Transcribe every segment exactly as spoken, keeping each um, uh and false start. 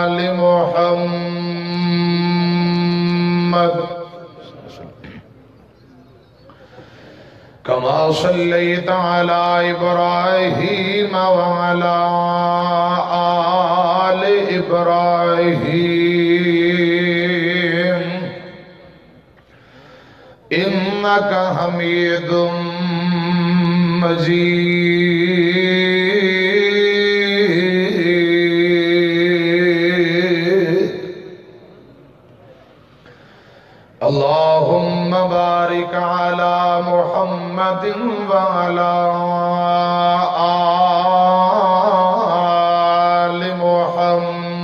آل محمد كما صليت على إبراهيم وعلى آل إبراهيم إنك حميد مجيد. اللهم بارك على محمد وعلى آل محمد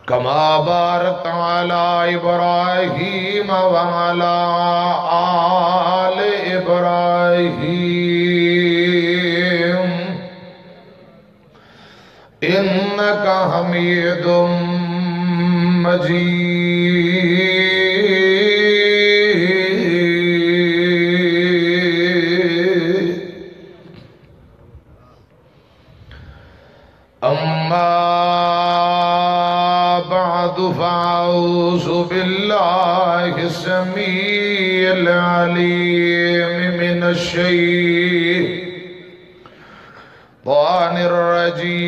كما باركت على إبراهيم وعلى آل إبراهيم إنك حميد مجيد. أما بعد، فأعوذ بالله السميع العليم من الشيطان الرجيم.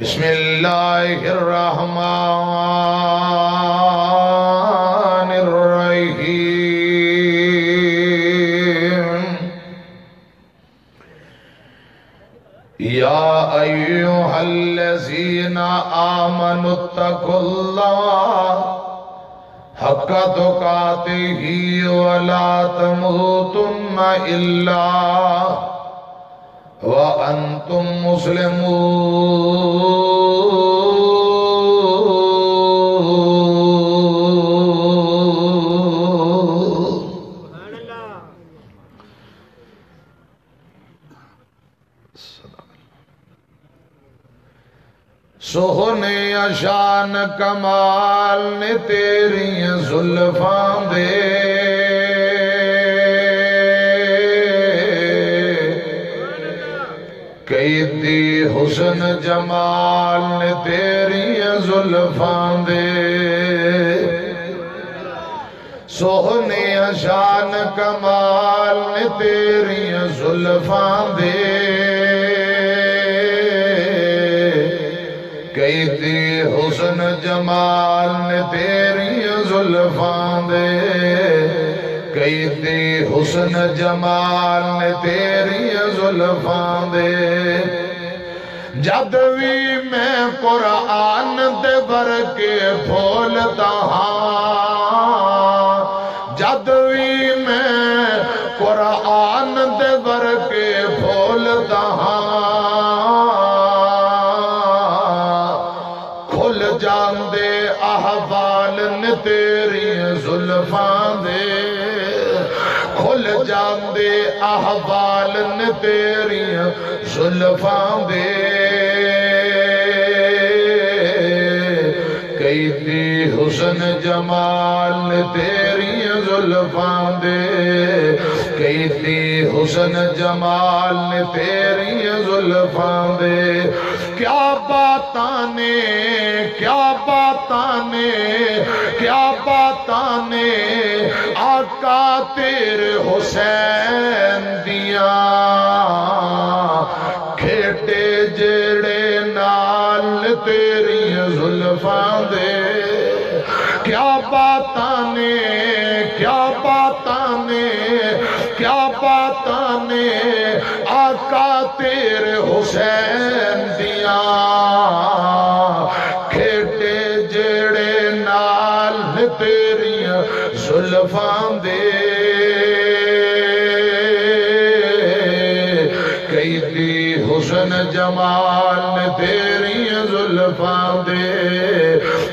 بسم الله الرحمن الرحيم. يا أيها الذين آمنوا اتقوا الله حق تقاته ولا تموتن إلا وأنتم مسلمون. سوہنے شان کمال نے تیریاں زلفاں دے، کئی دی حسن جمال نے تیریاں زلفاں دے۔ سوہنیاں شان کمال نے تیریاں زلفاں دے، کئی دی حسن جمال نے تیریاں زلفاں دے، کئی دی حسن جمال نے تیریاں زلفاں دے۔ جد وی میں قرآن دے ورقے پھولدا ہاں، جد وی میں قرآن دے ورقے پھولدا ہاں، کھل جاندے احوال نے تیری زلفاں دے، کھل جاندے احوال نے تیری زلفاں دے، کئی دی حسن جمال نے تیری زلفاں دے، کئی دی حسن جمال نے تیری زلفاں دے۔ کیا باتاں نے، کیا باتاں نے، کیا باتاں نے آقا تیرے حسین دیاں، کھیڈے جیڑے نال تیری زلفاں دے۔ کیا باتاں نے، کیا باتاں نے، کیا باتاں نے آقا تیرے حسین دیاں، کھیڈے جیڑے نال تیریاں زلفاں دے، کئی دی حسن جمال نے تیریاں زلفاں دے،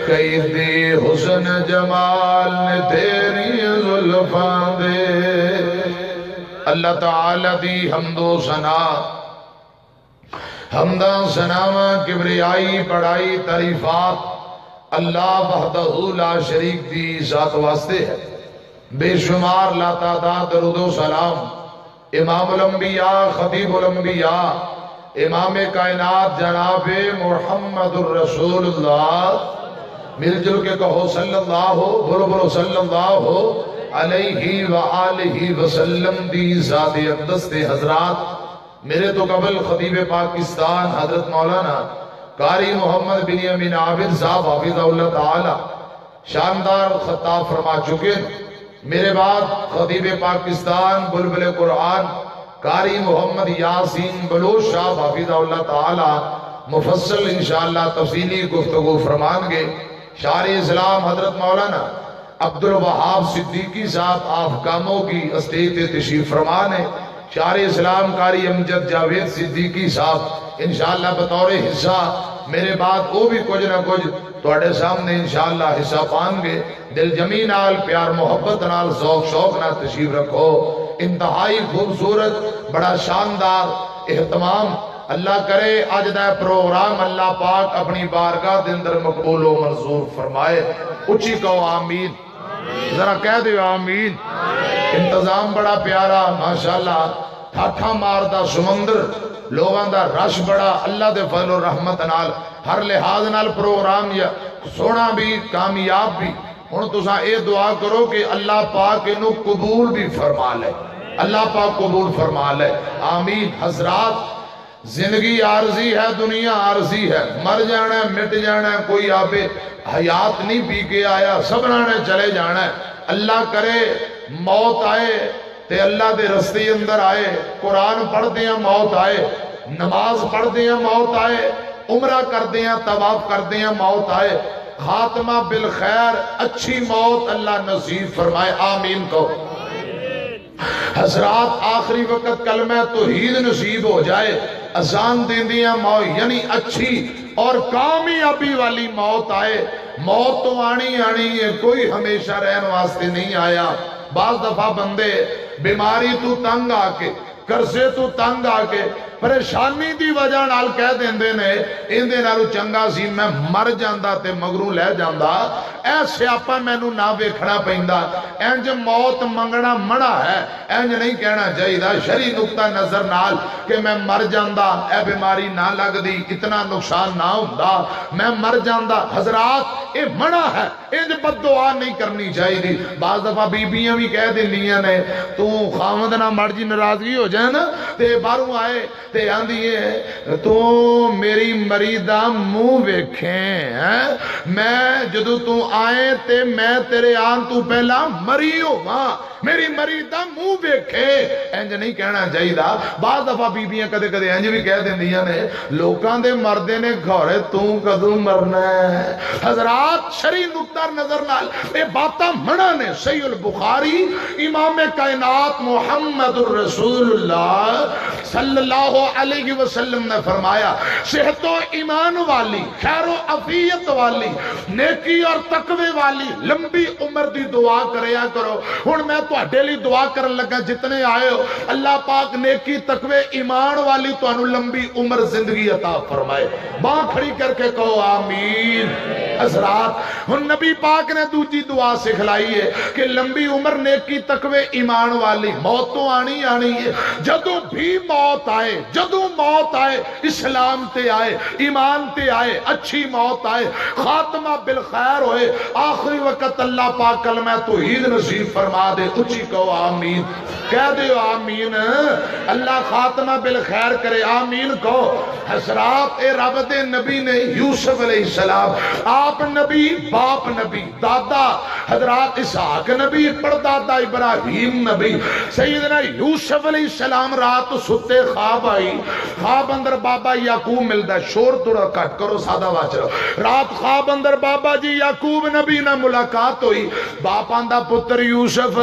کئی دی حسن جمال نے تیریاں زلفاں دے۔ اللہ تعالی دی حمد و ثنا، حمداں، ثناواں، کبریائی، بڑائی، تعریفات اللہ وحدہ لا شریک دی ذات واسطے ہے۔ بے شمار لاتعداد درود و سلام امام الانبیاء، خطیب الانبیاء، امام کائنات جناب محمد الرسول اللہ، مل جل کے کہو صلی اللہ، بولو بولو صلی اللہ علیہ وآلہ وسلم دی ذات اقدس تے۔ حضرات، میرے تو قبل خطیب پاکستان حضرت مولانا قاری محمد بن امین عابد صاحب حفظہ اللہ تعالی شاندار خطاب فرما چکے ہیں۔ میرے بعد خطیب پاکستان بلبل قرآن قاری محمد یاسین بلوچ صاحب حفظہ اللہ تعالی مفصل انشاءاللہ تفصیلی گفتگو فرمان گے۔ شار اسلام حضرت مولانا عبد الوہاب صدیقی صاحب آف کاموں کی اسٹیج تے تشریف فرمان ہے۔ شار اسلام قاری امجد جاوید صدیقی صاحب انشاءاللہ بطور حصہ میرے بعد وہ بھی کچھ نہ کچھ تواڈے سامنے انشاءاللہ حصہ پان گے۔ دل جمی نال، پیار محبت نال، ذوق شوق نال تشریف رکھو۔ انتہائی خوبصورت، بڑا شاندار اہتمام۔ اللہ کرے اج دا پروگرام اللہ پاک اپنی بارگاہ دے اندر مقبول و منظور فرمائے۔ اچھی کہو آمین۔ ذرا کہہ دیو آمین۔ انتظام بڑا پیارا، ماشاءاللہ، ٹھاٹھا ماردا سمندر، لوگاں دا رش بڑا، اللہ دے فضل و رحمت نال ہر لحاظ نال پروگرام یا سونا بھی، کامیاب بھی۔ ہن تساں اے دعا کرو کہ اللہ پاک اینو قبول بھی فرما لے، اللہ پاک قبول فرما لے۔ آمین۔ حضرات، زندگی عارضی ہے، دنیا عارضی ہے، مر جانا ہے، مٹ جانا ہے، کوئی آبے حیات نہیں پی کے آیا، سبنا نے چلے جانا ہے۔ اللہ کرے موت آئے تے اللہ دے رستے اندر آئے، قرآن پڑھدیاں موت آئے، نماز پڑھدیاں موت آئے، عمرہ کردیاں، طواف کردیاں موت آئے، خاتمہ بالخیر، اچھی موت اللہ نصیب فرمائے، آمین کہو۔ حضرات، آخری وقت کلمہ توحید نصیب ہو جائے، اذان دیندیاں موت، یعنی اچھی اور کامیابی والی موت آئے۔ موت تو آنی آنی ہے، کوئی ہمیشہ رہن واسطے نہیں آیا۔ بعض دفعہ بندے بیماری تو تنگ آ کے، قرضے تو تنگ آ کے، پریشانی دی وجہ نال کہہ دیندے نے، "ایندے نالوں چنگا سی میں مر جاندا تے مگروں لے جاندا، اے سیاپا مینوں نہ ویکھنا پیندا۔" انج موت منگنا منع ہے، انج نہیں کہنا چاہیدا۔ شرعی نقطہ نظر نال کہ میں مر جاندا، اے بیماری نہ لگدی، اتنا نقصان نہ ہوندا، میں مر جاندا۔ حضرات، اے منع ہے، انج بد دعا نہیں کرنی چاہیدی۔ بعض دفعہ بیبیاں بھی کہہ دیندیاں نے، تو خاوند نہ مر جی ناراضگی ہو جائے نا، تے باہروں آئے تے آندی ہے، تو میری مری دا منہ ویکھیں، ہیں؟ میں جدوں تو آئے تے میں تیرے آن تو پہلا مری ہوواں، میری مری دا منہ ویکھیں۔ انج نہیں کہنا چاہیدا۔ بعض دفعہ بیبیاں کدے کدے انج بھی کہہ دیندیاں نے، لوکاں دے مردے نے گھورے، توں کدوں مرنا ہے؟ حضرات، شرعی نقطہ نظر نال اے باتاں منع نے۔ صحیح البخاری، امام کائنات محمد الرسول اللہ صلی اللہ علیہ وسلم نے فرمایا، صحت و ایمان والی، خیر و عافیت والی، نیکی اور تقوی والی لمبی عمر دی دعا کریا کرو۔ ہن میں تہاڈے لئی دعا کرن لگا، جتنے آئے ہو، اللہ پاک نیکی، تقوی، ایمان والی تانوں لمبی عمر، زندگی عطا فرمائے۔ باں کھڑی کر کے کہو، "آمین۔" حضرات، ہن نبی پاک نے دوجی دعا سکھلائی ہے کہ لمبی عمر، نیکی، تقوی، ایمان والی، موت تو آنی آنی ہے۔ جدوں بھی موت آئے، جدوں موت آئے، اسلام تے آئے، ایمان تے آئے، اچھی موت آئے، خاتمہ بالخیر ہوئے، آخری وقت اللہ پاک کلمہ توحید نصیب فرما دے۔ اچھی کہو، "آمین۔" کہہ دیو، "آمین۔" اللہ خاتمہ بالخیر کرے، آمین کہو۔ حضرات، اے رب دے نبی نے، یوسف علیہ السلام، آپ نبی، باپ نبی، دادا حضرات اسحاق نبی، پردادا ابراہیم نبی۔ سیدنا یوسف علیہ السلام رات ستے، خواب آئی، خواب اندر بابا یعقوب ملدا، شور تھوڑا گھٹ کرو، سادہ واچ رہو۔ رات خواب اندر بابا جی یعقوب نبی نال ملاقات ہوئی۔ باپ آندا، "پتر یوسف،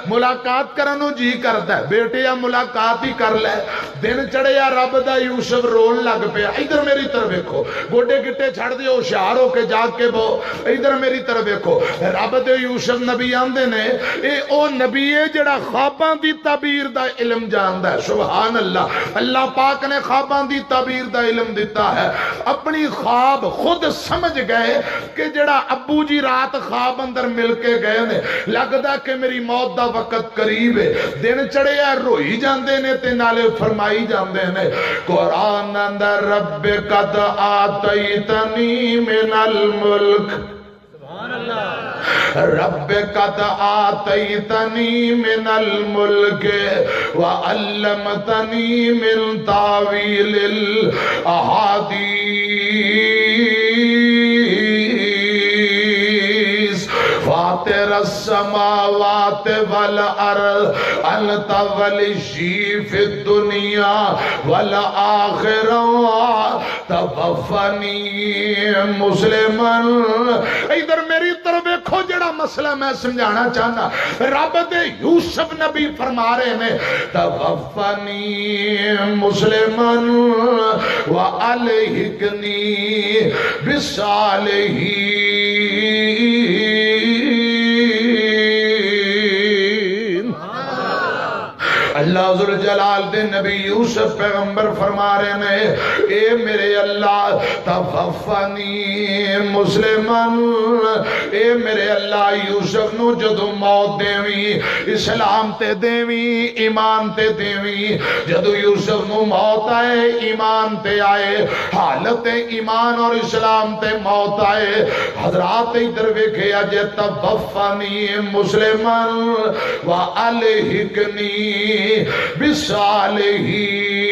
ملاقات کرن نوں جی کردا ہے، بیٹے آ ملاقات ہی کر لے۔ دن چڑھیا، رب دا یوسف رون لگ پیا۔ ادھر میری طرف ویکھو، گوڈے گٹے چھڑ دیو، ہوشیار ہو کے جاگ کے بہو۔ ادھر میری طرف ویکھو، رب دے یوسف نبی آندے نے، اے او نبی ہے جڑا خواباں دی تعبیر دا علم جاندا ہے۔ سبحان اللہ، اللہ پاک نے خواباں دی تعبیر دا علم دتا ہے۔ اپنی خواب خود سمجھ گئے کہ جڑا ابو جی رات خواب اندر مل کے گئے نے، لگدا کہ میری موت دا وقت قریب ہے۔ دن چڑھیا، روئی جاندے نے تے نالے فرمائی جاندے نے۔ قرآن اندر، "رب قد آتیتنی من الملک"، "رب قد آتیتنی من الملک وعلمتنی من تاویل الاحادیث فاطر السماوات والارض انت ولی فی الدنیا والآخرہ توفنی مسلما۔" ادھر میری طرف ویکھو، جڑا مسئلہ میں سمجھانا چاہنا، رب دے یوسف نبی فرما رہے نے، "توفنی مسلما والحقنی بالصالحین۔" اللہ ذوالجلال دے نبی یوسف پیغمبر فرما رہے نے، "اے میرے اللہ، توفنی مسلما۔" اے میرے اللہ، یوسف نو جدوں موت دیویں، اسلام تے دیویں، ایمان تے دیویں۔ جدوں یوسف نو موت آئے، ایمان تے آئے، حالت ایمان اور اسلام تے موت آئے۔ حضرات، ادھر ویکھیا جے، "توفنی مسلما والحقنی بالصالحین۔"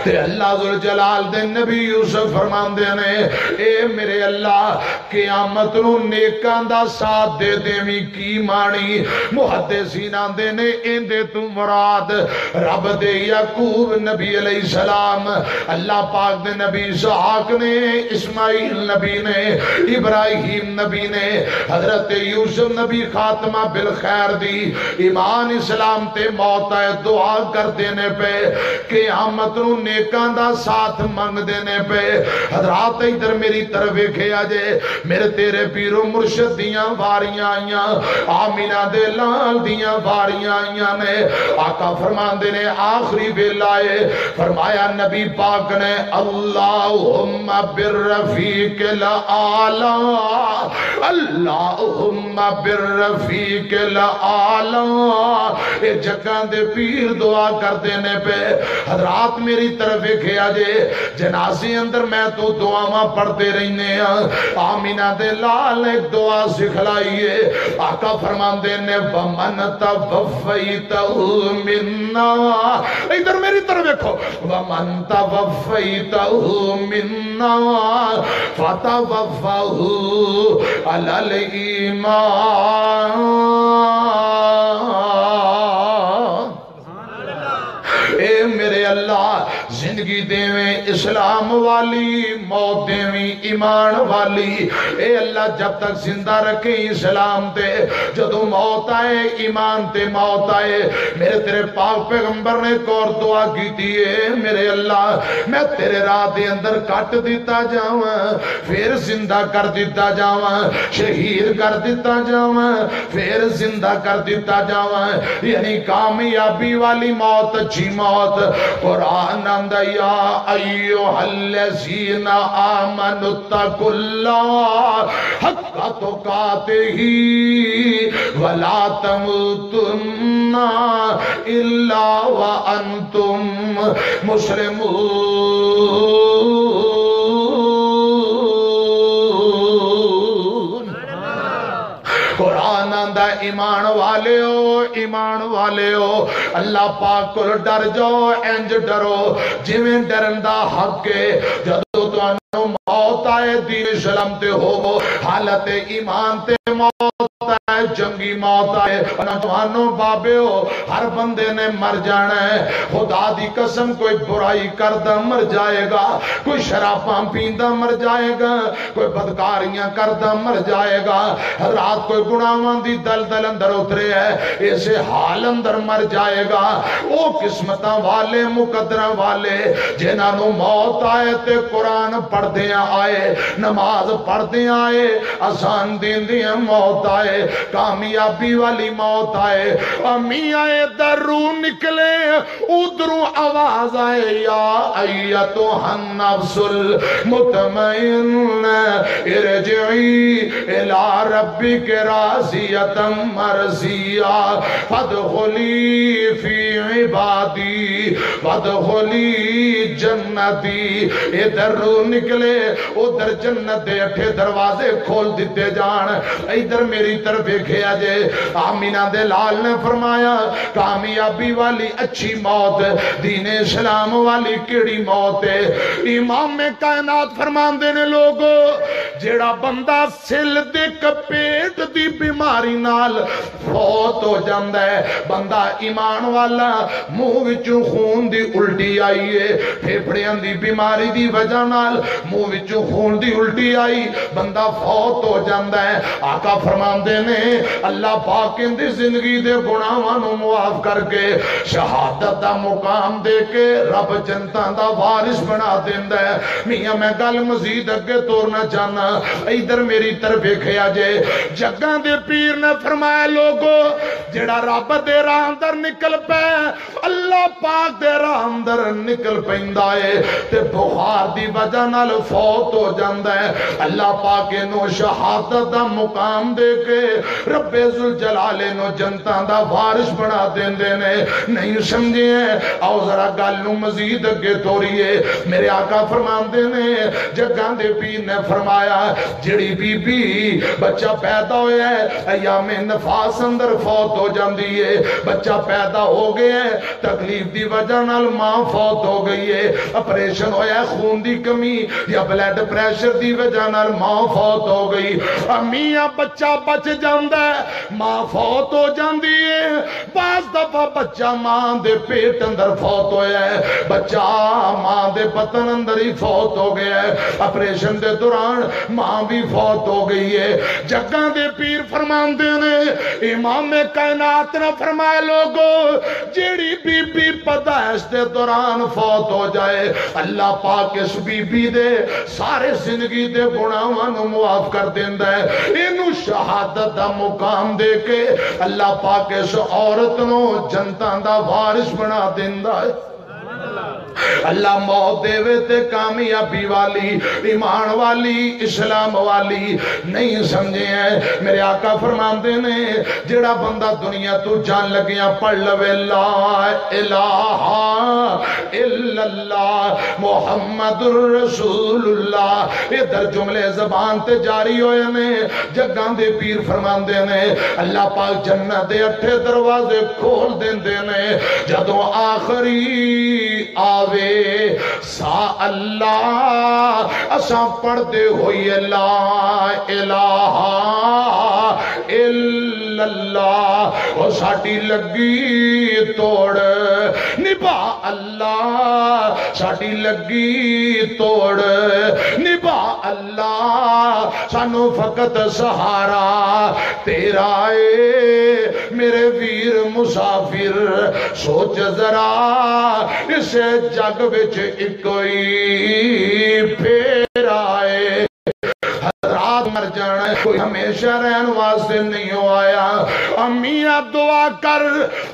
تے اللہ ذوالجلال دے نبی یوسف فرماندے نے، "اے میرے اللہ، قیامت نو نیکاں دا ساتھ دے دیویں۔" کی معنی؟ محدثین آندے نے، ایندے تو مراد رب دے یعقوب نبی علیہ السلام، اللہ پاک دے نبی اسحاق نے، اسماعیل نبی نے، ابراہیم نبی نے، حضرت یوسف نبی خاتمہ بالخیر دی، ایمان اسلام تے موت آئے، دعا کر دینے پے، قیامت نو نیکاں دا ساتھ منگ دینے پے۔ حضرات، ادھر میری طرف ویکھیا جے، میرے تیرے پیرو مرشد دیاں واریاں آئیاں، آمینہ دے لال دیاں واریاں آئیاں نے۔ آقا فرماندے نے، آخری ویلا اے، فرمایا نبی پاک نے، "اللہم بالرفیق الاعلی، اللہم بالرفیق الاعلی۔" اے جگاں دے پیر دعا کردے نے پے۔ حضرات، میری طرف ویکھیا جے، جنازے اندر میں تو دعاواں پڑھدے رہنے ہاں۔ آمینہ دے لال نے دعا سکھلائی ہے۔ آقا فرماندے نے، "ومن توفیتہ منا۔" ادھر میری طرف دیکھو، "ومن توفیتہ منا فتوفہ علی الایمان۔" اے میرے اللہ، زندگی دیویں اسلام والی، موت دیویں ایمان والی۔ اے اللہ، جب تک زندہ رکھیں اسلام تے، جدوں موت آئے ایمان تے موت آئے۔ میرے تیرے پاک پیغمبر نے ایک اور دعا کیتی ہے، میرے اللہ، میں تیرے راہ دے اندر کٹ دتا جاواں، پھر زندہ کر دتا جاواں، شہید کر دتا جاواں، پھر زندہ کر دتا جاواں، یعنی کامیابی والی موت، اچھی موت۔ قرآن آندا، یا ایھا الذین آمنوا اتقوا اللہ حق تقاتہ ولا تموتن الا وانتم مسلمون۔ قرآن آندا، ایمان والیو، ایمان والیو، اللہ پاک کول ڈر جاؤ، انج ڈرو جویں ڈرن دا حق ہے۔ جدوں تانوں موت آئے، دین اسلام تے ہوو، حالت ایمان تے موت آئے، جنگی موت آئے۔ نوجوانوں، بابیو، ہر بندے نے مر جانا ہے۔ خدا دی قسم، کوئی برائی کردا مر جائے گا، کوئی شراباں پیندا مر جائے گا، کوئی بدکاریاں کردا مر جائے گا، رات کوئی گناہاں دی دلدل اندر اترے ہے، اسے حال اندر مر جائے گا۔ او قسمتاں والے، مقدراں والے، جنہاں نوں موت آئے تے قرآن پڑھدیاں آئے، نماز پڑھدیاں آئے، اذان دیندیاں موت آئے، کامیابی والی موت آئے۔ امی آئے دا روح نکلے، ادھروں آواز آئے، یا ایتھا النفس المطمئنہ، ارجعی الی ربک راضیۃ مرضیہ، فادخلی فی عبادی، وادخلی جنتی۔ ادھر روح نکلے، ادھر جنت دے اٹھے دروازے کھول دتے جان۔ ادھر میری طرف ویکھیا جے۔ آمینہ دے لال نے فرمایا، کامیابی والی اچھی موت، دین اسلام والی کیڑی موت ہے؟ امام کائنات فرماندے نے، لوگو، جیڑا بندہ سل دے کپیٹ دی بیماری نال فوت ہو جاندا ہے، بندہ ایمان والا، منہ وچوں خون دی الٹی آئی ہے، پھیپھڑیاں دی بیماری دی وجہ نال منہ وچوں خون دی الٹی آئی، بندہ فوت ہو جاندا ہے۔ آقا فرماندے نے، اللہ پاک ان دی زندگی دے گناہاں نوں معاف کر کے شہادت دا مقام دے کے رب جنتاں دا وارث بنا دیندا ہے۔ میاں، میں گل مزید اگے تورنا چاہنا، ادھر میری طرف ویکھیا جے۔ جگاں دے پیر نے فرمایا، لوگو، جڑا رب دے راہ اندر نکل پے، اللہ پاک دے راہ اندر نکل پیندا اے تے بخار دی وجہ نال فوت ہو جاندا ہے، اللہ پاک اینو شہادت دا مقام دے کے رب ذوالجلال اینو جنتاں دا وارث بنا دیندے نے۔ نہیں سمجھے؟ آؤ ذرا گل نو مزید اگے توریے۔ میرے آقا فرماندے نے، جگاں دے پیر نے فرمایا، جڑی بی بی بچہ پیدا ہویا ہے، ایام نفاس اندر فوت ہو جاندی ہے، بچہ پیدا ہو گیا ہے، تکلیف دی وجہ نال ماں فوت ہو گئی ہے، آپریشن ہویا ہے، خون دی کمی یا بلڈ پریشر دی وجہ نال ماں فوت ہو گئی۔ امی، آ بچہ بچ جاندا ہے، ماں فوت ہو جاندی ہے۔ بعض دفعہ بچہ ماں دے پیٹ اندر فوت ہویا ہے، بچہ ماں دے بطن اندر ہی فوت ہو گیا ہے، آپریشن دے دوران ماں بھی فوت ہو گئی ہے۔ جگاں دے پیر فرماندے نے، امام کائنات نے فرمایا، لوگو، جیڑی بی بی پیدائش دے دوران فوت ہو جائے، اللہ پاک اس بی بی دے سارے زندگی دے گناہاں نوں معاف کر دیندا ہے۔ اینوں شہادت دا مقام دے کے اللہ پاک اس عورت نوں جنتاں دا وارث بنا دیندا ہے۔ اللہ موت دے وے تے کامیابی والی، ایمان والی، اسلام والی نہیں سمجھے ہیں۔ میرے آقا فرماندے نے، جڑا بندہ دنیا تو جان لگیاں پڑھ لوے لا الہ الا اللہ محمد رسول اللہ، ادھر جملے زبان تے جاری ہوئے نے۔ جگاں دے پیر فرماندے نے، اللہ پاک جنت دے اٹھے دروازے کھول دیندے نے۔ جدوں آخری آوے سا اللہ، اساں پڑھدے ہوئیے لا الہ الا اللہ۔ او ساڈی لگی توڑ، نبھا اللہ، ساڈی لگی توڑ، نبھا اللہ، سانو فقط سہارا تیرا اے۔ میرے ویر مسافر، سوچ ذرا، اس جگ وچ اکو ہی پھیرا اے۔ حضرات، مر جانا ہے، کوئی ہمیشہ رہن واسطے نہیں ہو آیا۔ امی، آپ دعا کر،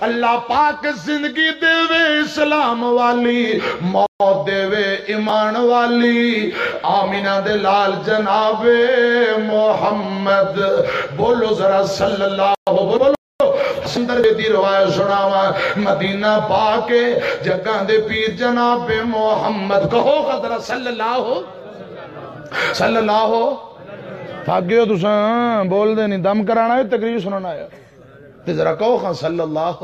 اللہ پاک زندگی دے وے اسلام والی، موت دے وے ایمان والی۔ آمینہ دے لال جناب محمد، بولو ذرا صلی اللہ، بولو۔ سندر دی روایت سناواں، مدینہ پاک جگاں دے پیر جناب محمد، کہو ذرا صلی اللہ، صلی اللہ۔ تھک گئے ہو تساں، بول دے نہیں، دم کرانا ہے، تقریر سننا ہے۔ تے ذرا کہو خاں، صلی اللہ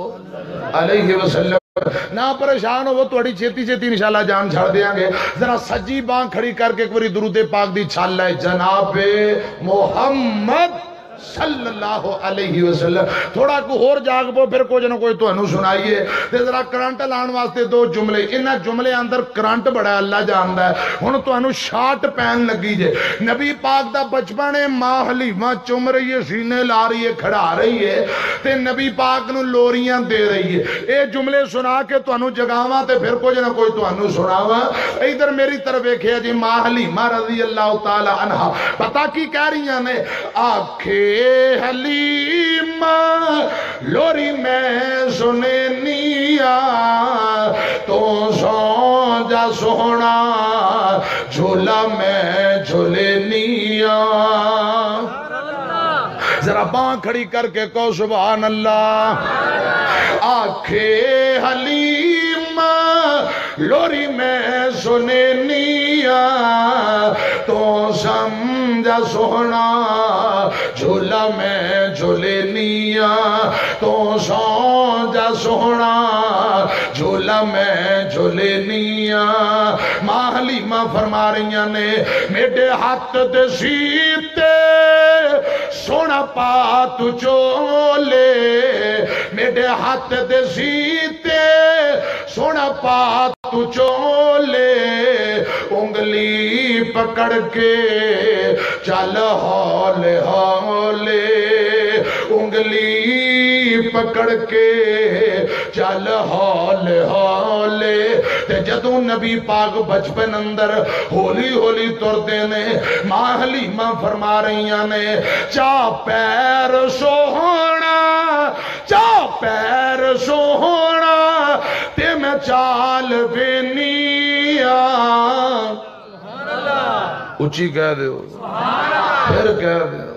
علیہ وسلم۔ نہ پریشان ہوو، تہاڈی چھیتی چھیتی انشاءاللہ جان چھڑ دیاں گے۔ ذرا سجی بانہہ کھڑی کر کے ایک واری درود پاک دی چھل ہے، جناب محمد صلی اللہ علیہ وسلم۔ تھوڑا کو ہور جاگ پو، پھر کچھ نہ کچھ تہانوں سنائیے۔ تے ذرا کرنٹ لان واسطے دو جملے، انہاں جملے اندر کرنٹ بڑا، اللہ جاندا ہے۔ ہن تہانوں شارٹ پین لگی جے۔ نبی پاک دا بچپن ہے، ماں حلیمہ چم رہی ہے، سینے لا رہی ہے، کھڑا رہی ہے، تے نبی پاک نوں لوریاں دے رہی ہے۔ اے جملے سنا کے تانوں جگاواں تے پھر کچھ نہ کچھ تانوں سناواں۔ ادھر میری طرف ویکھیا جی، ماں حلیمہ رضی اللہ تعالی عنہا پتہ کی کہہ رہیاں نے؟ آکھے حلیمہ، لوری میں سنینی آ، تو سو جا سوہنا، جھولا میں جھولینی آ۔ ذرا بانہہ کھڑی کر کے کہو، سبحان اللہ۔ آکھے حلیمہ، لوری میں سنینی آ، تو سمجھا سوہنا، جھولا میں جھولینی آ، تو سو جا سوہنا، جھولا میں جھولینی آ۔ ماں حلیمہ فرما رہیاں نے، میڈے ہاتھ دے سیتے سونا پا تو چولے، میڈے ہاتھ دے سیتے سونا پا تو چولے، انگلی پکڑ کے چل ہولے ہولے، انگلی پکڑ کے چل ہولے ہولے۔ تے جدوں نبی پاک بچپن اندر ہولی ہولی تردے نے، ماں حلیمہ فرما رہیاں نے، چا پیر سوہنا، چا پیر سوہنا، تے میں چال وینی آ۔ اچی کہہ دیو، پھر کہہ دیو۔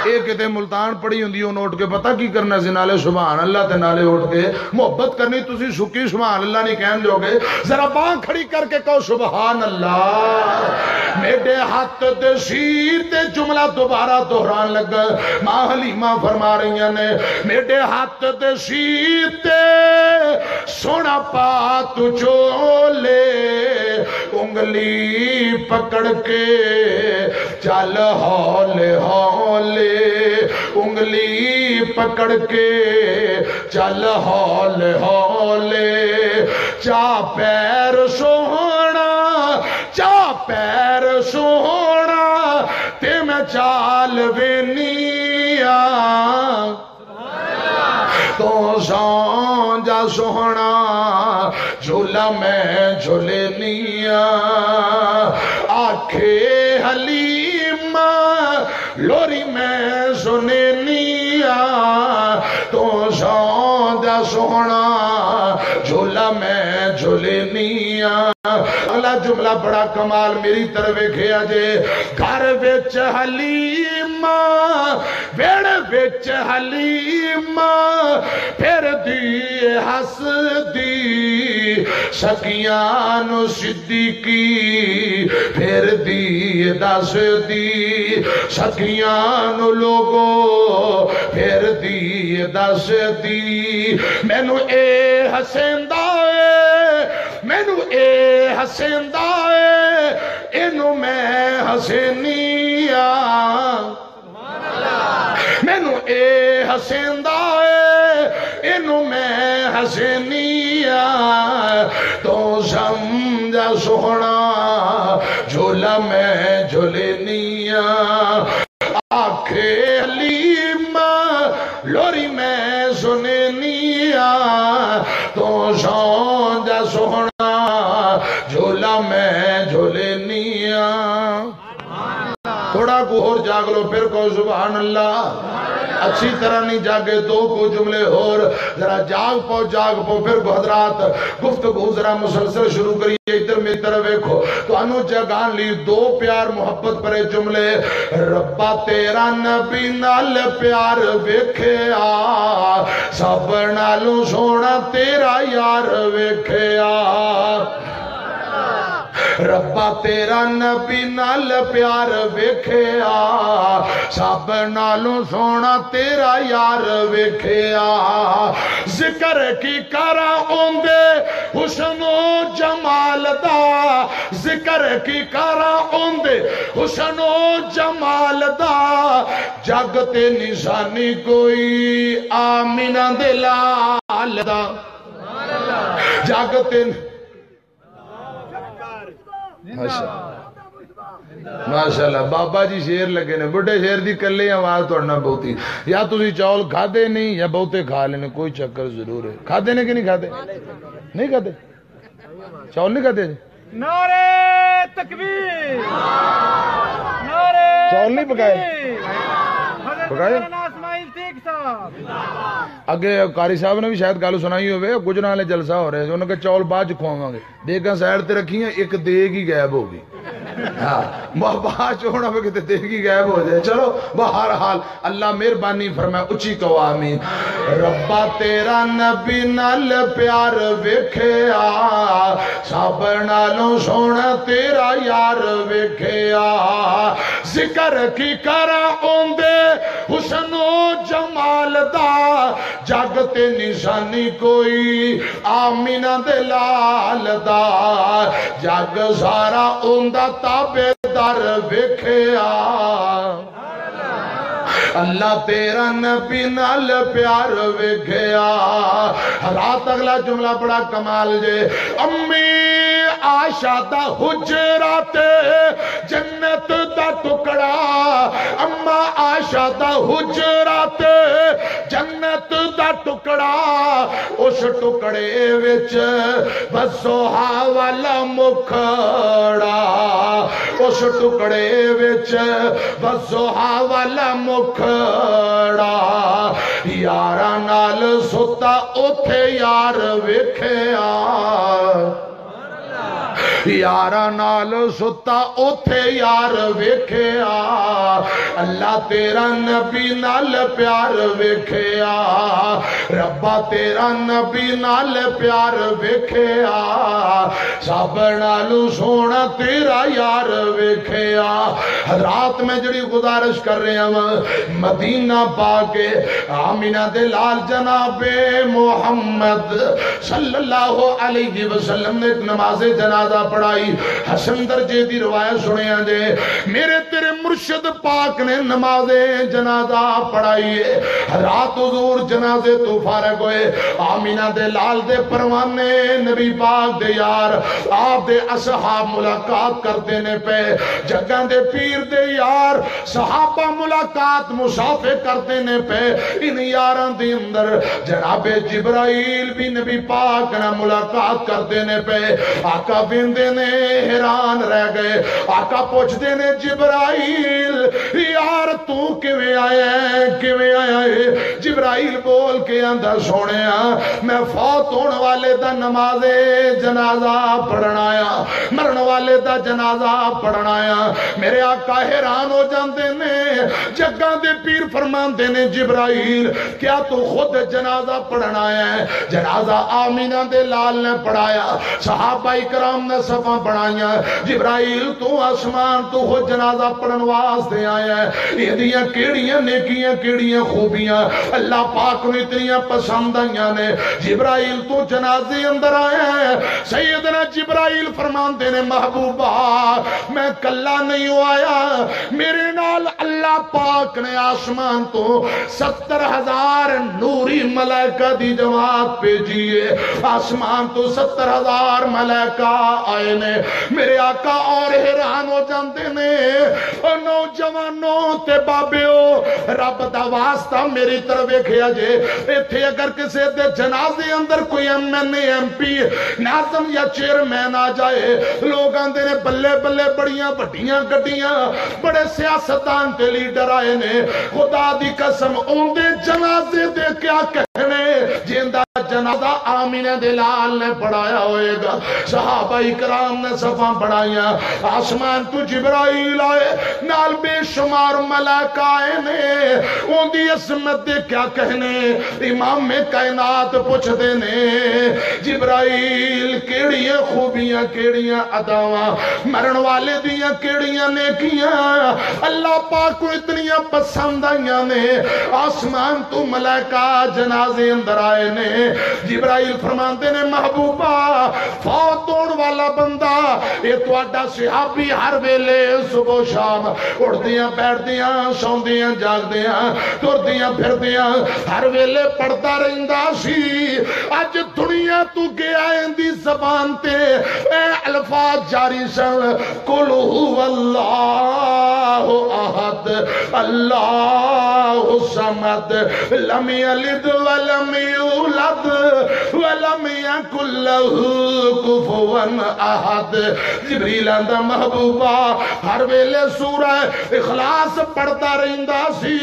اے کتے ملتان پڑی ہوندی، انہوں اٹھ کے پتہ کی کرنا سی؟ نالے سبحان اللہ تے نالے اٹھ کے محبت کرنی۔ تسی سکی سبحان اللہ نہیں کہن جوگے، ذرا بانہہ کھڑی کر کے کہو، سبحان اللہ۔ میڈے ہاتھ دے سیتے، جملہ دوبارہ دہران لگا۔ ماں حلیمہ فرما رہیاں نے، میڈے ہاتھ دے سیتے سونا پا تو چولے، انگلی پکڑ کے چل ہولے ہولے، انگلی پکڑ کے چل ہولے ہولے، چا پیر سوہنا، چا پیر سوہنا، تے میں چال وینی آ۔ تو سو جا سوہنا، جھولا میں جھولینی آ۔ آکھے حلیمہ، لوری میں سنینی آ، تو سو جا سوہنا، جھولا میں جھولینی آ۔ اگلا جملہ بڑا کمال، میری طرف ویکھیا جے۔ گھر وچ حلیمہ، ویڑ وچ حلیمہ، پھر دی ہس دی، سکیاں نو صدیقی، پھر دی دس دی، سکیاں نو لوگو، پھر دی دس دی۔ مینوں اے ہسیندا اے، مینوں اے ہسیندا اے، اینوں میں ہسینی آ۔ مینوں اے ہسیندا اے، اینوں میں ہسینی آ۔ تو سمجھا سوہنا، جھولا میں جھولینی آ۔ آکھے حلیمہ، لوری میں سنینی آ۔ تو سمجھا سوہنا، جھولا میں جھولینی آ۔ تھوڑا کو ہور جاگ لو، پھر کو سبحان اللہ۔ اچھی طرح نہیں جاگے، دو کو جملے ہور، ذرا جاگ پو، جاگ پو۔ پھر کو حضرات، گفتگو ذرا مسلسل شروع کریے۔ ادھر میری طرف ویکھو، تانوں جگان لی دو پیار محبت پرے جملے۔ ربا تیرا نبی نال پیار ویکھیا، سب نالوں سوہنا تیرا یار ویکھیا۔ ربا تیرا نبی نال پیار ویکھیا، سب نالوں سونا تیرا یار ویکھیا۔ ذکر کی کراں اوندے حسن و جمال دا، ذکر کی کراں اوندے حسن و جمال دا، جگ تے نشانی کوئی آمینہ دے لال دا۔ جگ تے ماشاءاللہ۔ ماشاءاللہ، بابا جی شیر لگے نے، بڈھے شیر دی کلے آواز توڑنا بہتی۔ یا تسی چاول کھادے نہیں یا بہتے کھا لینے، کوئی چکر ضرور ہے۔ کھادے نے کہ نہیں کھادے؟ نہیں کھادے؟ چاول نہیں کھادے جی؟ نعرہ تکبیر، نعرہ چاول نہیں پکائے؟ تکبیر۔ حضرت پکائے؟ مولانا اسماعیل تیگ صاحب۔ اگے قاری صاحب نے بھی شاید گل سنائی ہوئے، گجراں والے جلسہ ہو رہے، انہوں نے کہا چاول بعد چ کھواواں گے۔ دیگاں سائیڈ تے رکھیاں، ایک دیگ ہی غائب ہو گئی۔ ہاں، بابا چوڑا پہ کتے دیگ ہی غائب ہو جائے۔ چلو، بہرحال، اللہ مہربانی فرمائے، اچھی کہو آمین۔ ربا تیرا نبی نال پیار ویکھیا، سب نالوں سونا تیرا یار ویکھیا۔ ذکر کی کراں اوندے حسن و جمال دا، جگ تے نشانی کوئی آمینہ دے لال دا، جگ سارا اوندا تابعدار ویکھیا۔ اللہ تیرا نبی نال پیار ویکھیا۔ رات اگلا جملہ بڑا کمال جے۔ امی عائشہ دا حجرہ تے جنت دا ٹکڑا، اما عائشہ دا حجرہ تے جنت دا ٹکڑا، اس ٹکڑے وچ وضحیٰ والا مکھڑا، اس ٹکڑے وچ وضحیٰ والا مکھڑا، یاراں نال ستا اوتھے یار ویکھیا۔ یاراں نال ستا اوتھے یار ویکھیا۔ اللہ تیرا نبی نال پیار ویکھیا، ربا تیرا نبی نال پیار ویکھیا، سب نالوں سونا تیرا یار ویکھیا۔ حضرات، میں جڑی گزارش کر رہا ہوں، مدینہ پاک آمینہ دے لال جناب محمد صلی اللہ علیہ وسلم نے ایک نماز جنازہ پڑھائی۔ حسن درجے دی روایت سنیا جے، میرے تیرے مرشد پاک نے نماز جنازہ پڑھائی ہے۔ رات حضور جنازے تو فارغ ہوئے، آمینہ دے لال دے پروانے، نبی پاک دے یار، آپ دے اصحاب ملاقات کرتے نے پے، جگہ دے پیر دے یار، صحابہ ملاقات مسافر کرتے نے پے۔ ان یاراں دے اندر جناب جبرائیل بھی نبی پاک نال ملاقات کرتے نے پے۔ آقا ویندے نے، حیران رہ گئے۔ آقا پوچھتے نے، جبرائیل، یار تو کیویں آیا ہے، کیویں آیا ہے؟ جبرائیل بول کے آندا، سونیا، میں فوت ہون والے دا نماز جنازہ پڑھن آیا، مرن والے دا جنازہ پڑھن آیا۔ میرے آقا حیران ہو جاندے نے۔ جگاں دے پیر فرماندے نے، جبرائیل، کیا تو خود جنازہ پڑھن آیا ہے؟ جنازہ آمینہ دے لال نے پڑھایا، صحابہ کرام نے صفاں بنائیاں۔ جبرائیل، تو آسمان تو خود جنازہ پڑھن واسطے آیا ہے، ایندیاں کیڑیاں نیکیاں، کیڑیاں خوبیاں اللہ پاک نوں اتنیاں پسند آئیاں نے؟ جبرائیل، تو جنازے اندر آیا ہے۔ سیدنا جبرائیل فرماندے نے، محبوبہ، میں کلا نہیں ہو آیا، میرے نال اللہ پاک نے آسمان تو ستر ہزار نوری ملائکہ دی جماعت بھیجی ہے۔ آسمان تو ستر ہزار ملائکہ آئے نے۔ میرے آقا اور حیران ہو جاندے نے۔ او نوجوانوں تے بابیو، رب دا واسطہ میری طرف ویکھیا جے۔ ایتھے اگر کسے دے جنازے اندر کوئی ایم این اے، ایم پی، ناظم یا چیئرمین آ جائے، لوگ آندے نے، بلے بلے، بڑیاں وڈیاں گڈیاں، بڑے سیاستدان تے لیڈر آئے نے۔ خدا دی قسم، اوندے جنازے دے کیا کہنے، جیندا جنازہ آمینہ دے لال نے پڑھایا ہوئے گا۔ صحابہ کرام نے صفاں بنائیاں، آسمان تو جبرائیل آئے، نال بے شمار ملائکہ آئے نے۔ اوندی عظمت دے کیا کہنے، امام کائنات پوچھدے نے، جبرائیل، کیڑیاں خوبیاں، کیڑیاں اداواں، مرن والے دیاں کیڑیاں نیکیاں اللہ پاک کو اتنیاں پسند آئیاں نے؟ آسمان تو ملائکہ جنازے اندر آئے نے۔ جبرائیل فرماندے نے، محبوبہ، فوت ہون والا بندہ، یہ تہاڈا صحابی، ہر ویلے صبح و شام اٹھدیاں بیٹھدیاں، سوندیاں جاگدیاں، ٹردیاں پھردیاں، ہر ویلے پڑھدا رہندا سی۔ اج دنیا تو گیا، ایندی زبان تے اے الفاظ جاری سن، قل هو اللہ احد، اللہ الصمد، لم یلد ولم یولد، ولم یکن له کفوا احد۔ جبریل آندا، محبوبہ، ہر ویلے سورہ اخلاص پڑھدا رہندا سی،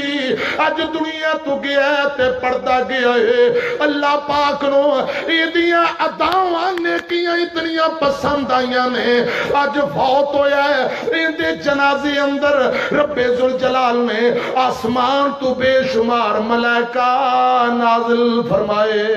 اج دنیا تو گیا ہے تے پڑھدا گیا ہے۔ اللہ پاک نو ایدیاں اداواں نیکیاں اتنیاں پسند آئیاں نے، اج فوت ہویا ہے، ایندے جنازے اندر رب ذوالجلال نے آسمان تو بے شمار ملائکہ نازل فرمائے۔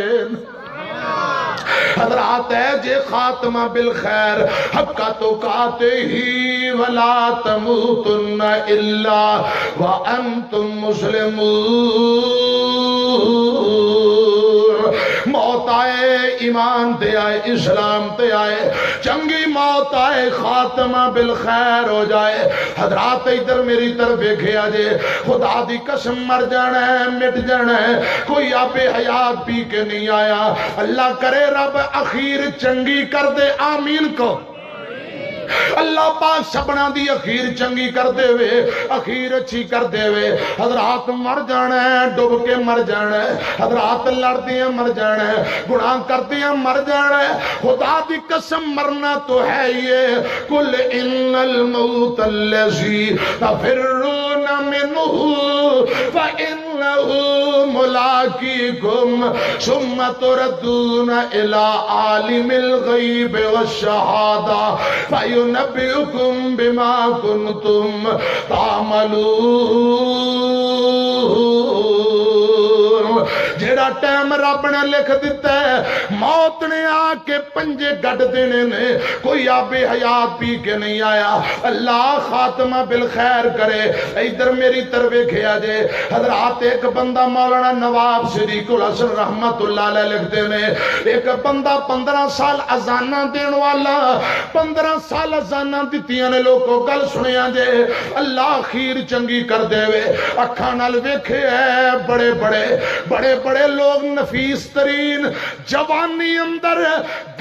حضرات، ہے جے خاتمہ بالخیر، حق تقاتے ہی ولا تموتن الا وانتم مسلمون۔ موت آئے، ایمان تے آئے، اسلام تے آئے، چنگی موت آئے، خاتمہ بالخیر ہو جائے۔ حضرات، ادھر میری طرف ویکھیا جے، خدا دی قسم، مر جانا ہے، مٹ جانا ہے۔ کوئی آب حیات پی کے نہیں آیا۔ اللہ کرے رب اخیر چنگی کر دے، آمین کو۔ اللہ پاک سبنا دی اخیر چنگی کر دے وے، اخیر اچھی کر دے وے۔ حضرات، مر جانا ہے، ڈب کے مر جانا ہے۔ حضرات، لڑدیاں مر جانا ہے، گناہ کردیاں مر جانا ہے۔ خدا دی قسم، مرنا تو ہے ہی ہے۔ قل ان الموت الذی تفرون منہ فانہ ملاقیکم ثم تردون الی عالم الغیب والشہادہ فینبئکم بما کنتم تعملون۔ جیڑا ٹائم رب نے لکھ دتا ہے، موت نے آ کے پنجے گڈ دینے نے، کوئی آب حیات پی کے نہیں آیا۔ اللہ خاتمہ بالخیر کرے۔ ادھر میری طرف ویکھیا جے، حضرات، ایک بندہ، مولانا نواب صدیق الحسن رحمت اللہ علیہ لکھتے نے، ایک بندہ پندرہ سال اذاناں دین والا، پندرہ سال اذاناں دتیاں نے، لوکو گل سنیا جے، اللہ اخیر چنگی کر دے وے۔ اکھاں نال ویکھے ہے، بڑے بڑے، بڑے بڑے لوگ، نفیس ترین، جوانی اندر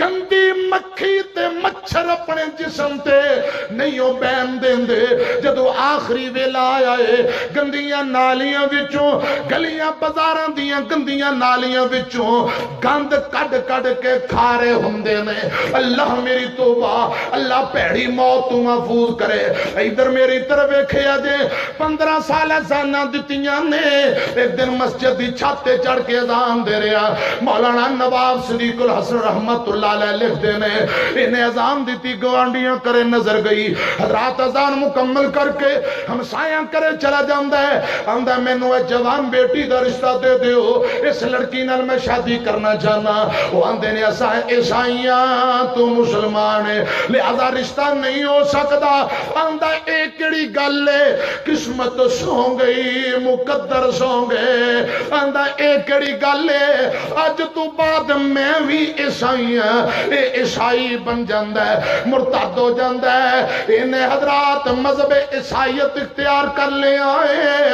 گندی مکھی تے مچھر اپنے جسم تے نہیں او بہن دیندے۔ جدوں آخری ویلا آیا ہے، گندیاں نالیاں وچوں، گلیاں بازاراں دیاں گندیاں نالیاں وچوں گند کڈ کڈ کے کھا رہے ہوندے نے۔ اللہ، میری توبہ، اللہ بھڑی موت تو محفوظ کرے۔ ادھر میری طرف ویکھیا جے، پندرہ سال اذاناں دتیاں نے۔ ایک دن مسجد دی چھت تے چڑھ کے اذان دے رہا مولانا نواب صدیق الحسن رحمت اللہ علیہ لکھدے نے، انہیں اذان دتی، گوانڈیاں کرے نظر گئی۔ حضرات، اذان مکمل کر کے ہمسایاں کرے چلا جاندا ہے، آندا، "مینوں اے جوان بیٹی دا رشتہ دے دیو، اس لڑکی نال میں شادی کرنا چاہنا۔" وہ آندے نے، "اساں عیسائیاں تو مسلمان ہیں، لہذا رشتہ نہیں ہو سکدا۔" آندا، "اے کیڑی گل ہے؟ قسمت سو گئی، مقدر سو گئے۔" آندا، "اے کیڑی گل ہے؟ اج تو بعد میں بھی عیسائی ہاں۔" اے عیسائی بن جاندا ہے، مرتد ہو جاندا ہے۔ انہیں حضرات مذہب عیسائیت اختیار کر لیا ہے،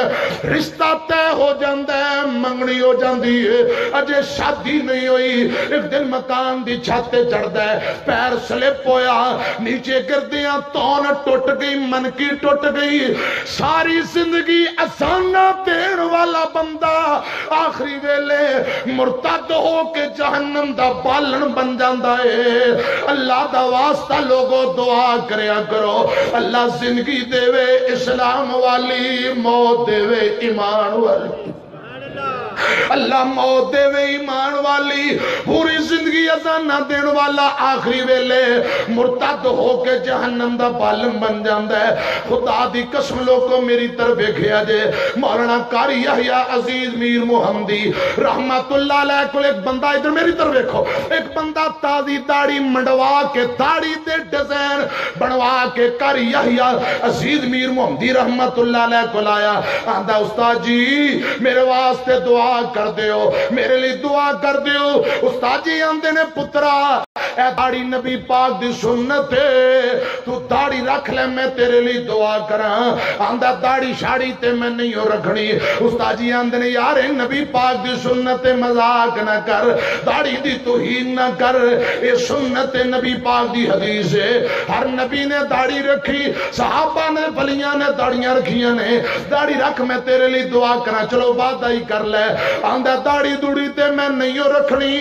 رشتہ طے ہو جاندا ہے، منگنی ہو جاندی ہے، اجے شادی نہیں ہوئی۔ ایک دن مکان دی چھت تے چڑھدا ہے، پیر سلپ ہویا، نیچے گردیاں تون ٹوٹ گئی، منکی ٹوٹ گئی۔ ساری زندگی اذاناں دین والا بندہ آخری ویلے مرتد ہو کے جہنم دا بالن بن جاندا ہے۔ اللہ دا واسطہ لوگو، دعا کریا کرو، اللہ زندگی دے وے اسلام والی، موت دے وے ایمان والی۔ اللہ موت دے وے ایمان والی، پوری زندگی اذاناں دین والا، آخری ویلے مرتد ہو کے جہنم دا بالم بن جاندا ہے۔ خدا دی قسم لوگو، میری طرف ویکھیا جے، مولانا قاری یحییٰ عزیز میر محمدی رحمت اللہ علیہ کول ایک بندہ، ادھر میری طرف ویکھو، ایک بندہ تازی داڑھی منڈوا کے، داڑھی دے ڈیزائن بنوا کے قاری یحییٰ عزیز میر محمدی رحمت اللہ علیہ کول آیا۔ آندا، "استاد جی، میرے واسطے دعا کر دیو، میرے لیے دعا کر دیو۔" استاد جی آندے نے، "پترا، اے داڑھی نبی پاک دی سنت ہے، تو داڑھی رکھ لے، میں تیرے لیے دعا کراں۔" آندا، "داڑھی شاڑھی تے میں نہیں ہو رکھنی۔" استاد جی آندے نے، "یار، اے نبی پاک دی سنت ہے، مذاق نہ کر، داڑھی دی توہین نہ کر، اے سنت نبی پاک دی حدیث ہے۔" ہر نبی نے داڑھی رکھی، صحابہ نے، ولیاں نے داڑھیاں رکھیاں نے۔ "داڑھی رکھ، میں تیرے لیے دعا کراں۔" "چلو، وعدہ ہی کر لے۔" آندا، "داڑھی دوڑھی تے میں نہیں ہو رکھنی،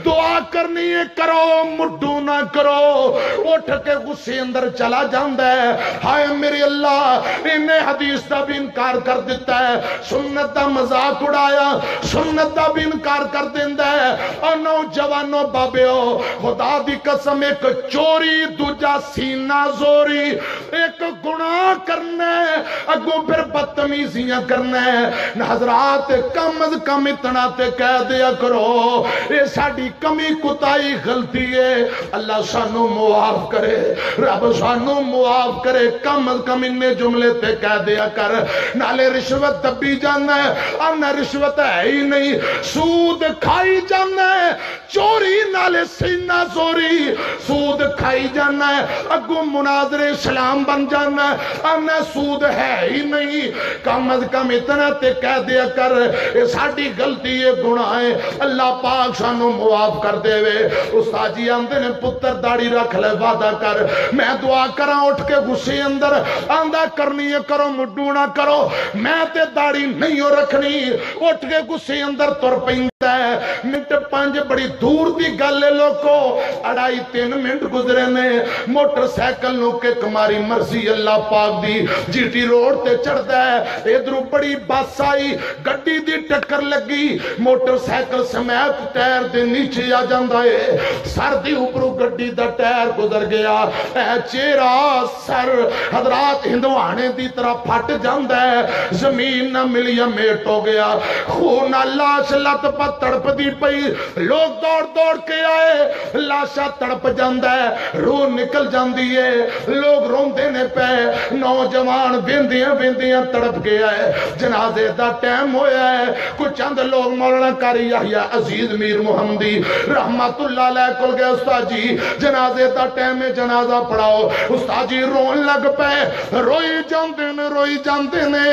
دعا کرنی ہے، کرو، مڈو نہ کرو۔" اٹھ کے غصے اندر چلا جاندا ہے، "ہائے میرے اللہ، انہیں حدیث دا بھی انکار کر دیتا ہے۔" سنت دا مذاق اڑایا، سنت دا بھی انکار کر دیندا ہے۔ او نوجوانو، بابیو، خدا دی قسم، ایک چوری، دوجا سینہ زوری، ایک گناہ کرنا ہے، اگوں پھر بدتمیزیاں کرنا ہے۔ حضرات، کم از کم اتنا تے کہہ دیا کرو، اے ساڈی کمی، کوتاہی، غلطی ہے، اللہ سانو معاف کرے، رب سانو معاف کرے، کم از کم انے جملے تے کہہ دیا کر۔ نالے رشوت دبی جانا ہے، آنا رشوت ہے ہی نہیں، سود کھائی جانا ہے، چوری نالے سینہ زوری، سود کھائی جانا ہے، اگوں مناظر اسلام بن جانا ہے، آنا سود ہے ہی نہیں۔ کم از کم اتنا تے کہہ دیا کر، اے ساڈی غلطی ہے، گناہ ہے، اللہ پاک سانو معاف کر دے وے۔ استاد جی آندے نے، "پتر، داڑھی رکھ لے، وعدہ کر۔" میں دعا کراں اٹھ کے غصے اندر، آندا، "کرنی ہے کرو، مڈو نہ کرو، میں تے داڑھی نہیں ہو رکھنی۔" اٹھ کے غصے اندر تر پیندا ہے۔ منٹ پنج بڑی دور دی گل ہے لوکو، اڑائی تین منٹ گزرے نے، موٹر سائیکل نو کک ماری، مرضی اللہ پاک دی، جی ٹی روڈ تے چڑھدا ہے۔ ادھروں بڑی بس آئی، گڈی دی ٹکر لگی، موٹر سائیکل سمیت ٹائر دے نیچے آ جاندا ہے، سر دی اوپروں گڈی دا ٹائر گزر گیا۔ اے چہرہ سر حضرات ہندوانے دی طرح پھٹ جاندا ہے، زمین نہ ملی، میٹ ہو گیا، خون نال لاش لت پت تڑپدی پئی۔ لوگ دوڑ دوڑ کے آئے، لاشاں تڑپ جاندا ہے، روح نکل جاندی ہے، لوگ روندے نے پے، نوجوان ویندیاں ویندیاں تڑپ کے آئے۔ جنازے دا ٹائم ہویا ہے، کچھ چند لوگ مولانا قاری یحییٰ عزیز میر محمدی رحمت اللہ علیہ کول گئے، "استاد جی، جنازے دا ٹائم ہے، جنازہ پڑھاؤ۔" استاد جی رون لگ پے، روئی جاندے نے، روئی جاندے نے۔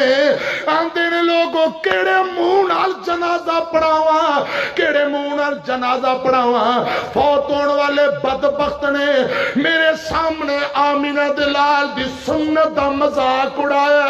آندے نے، "لوگو، کیڑے منہ نال جنازہ پڑھاواں، کیڑے منہ نال جنازہ پڑھاواں؟" فوت ہون والے بدبخت نے میرے سامنے آمینہ دے لال دی سنت دا مذاق اڑایا۔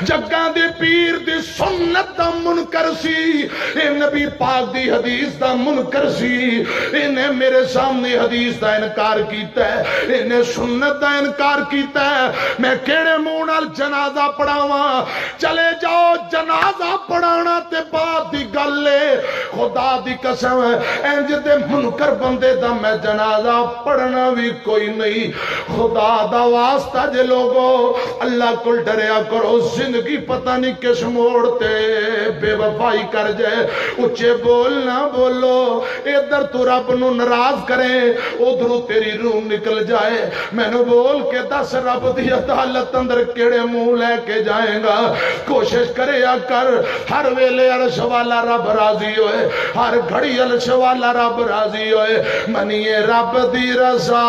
جگاں دے پیر دی سنت دا منکر سی، اے نبی پاک دی حدیث دا منکر سی۔ انہیں میرے سامنے حدیث دا انکار کیتا ہے، انہیں سنت دا انکار کیتا ہے۔ میں کیڑے منہ نال جنازہ پڑھاواں؟ چلے جاؤ، جنازہ پڑھانا تے بعد دی گل اے۔ خدا دی قسم، انج دے منکر بندے دا میں جنازہ پڑھنا وی کوئی نہیں۔ خدا دا واسطہ جے لوگو، اللہ کول ڈریا کرو۔ زندگی پتہ نہیں کس موڑ تے بے وفائی کر جائے۔ اچے بول نہ بولو، ادھر تو رب نو ناراض کرے، ادھروں تیری روح نکل جائے۔ مینوں بول کے دس، رب دی عدالت اندر کیڑے منہ لے کے جائیں گا؟ کوشش کریا کر، ہر ویلے عرش والا رب راضی ہوئے، ہر گھڑی عرش والا رب راضی ہوئے۔ منیے رب دی رضا،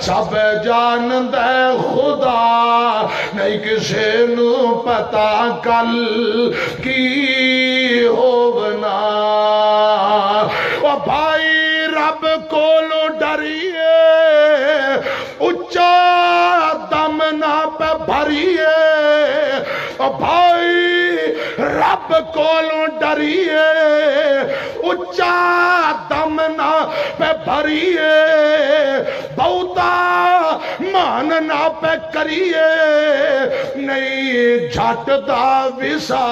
سب جاندا ہے خدا، نہیں کسے نوں پتہ کل کی ہوونا۔ او بھائی، رب کولوں ڈریے، اچا دم نہ پہ بھریے۔ او بھائی، رب کولوں ڈریے، اچا دم نہ پہ بھریے۔ بہتا مان نہ پہ کریے، نہیں جھٹ دا وسا،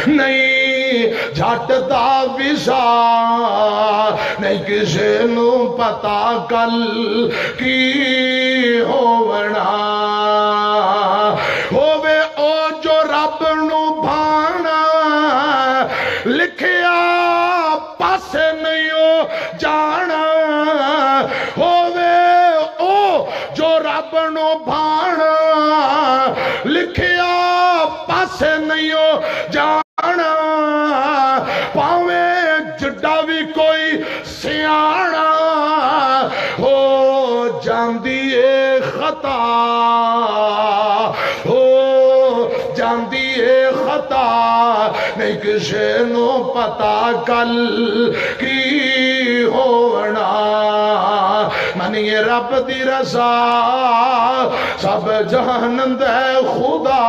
نہیں جھٹ دا وسا، نہیں کسے نوں پتا کل کی ہوونا۔ ہووے او جو رب نوں بھانا، لکھیا پاسے نہیں او جانا۔ ہووے او جو رب نوں بھانا، لکھیا پاسے نہیں او جانا۔ پاویں جڈا بھی کوئی سیانا، ہو جاندی اے خطا، ہو جاندی اے خطا، نہیں کسے نوں پتا کل کی ہونا۔ منیے رب دی رضا، سب جاندا ہے خدا،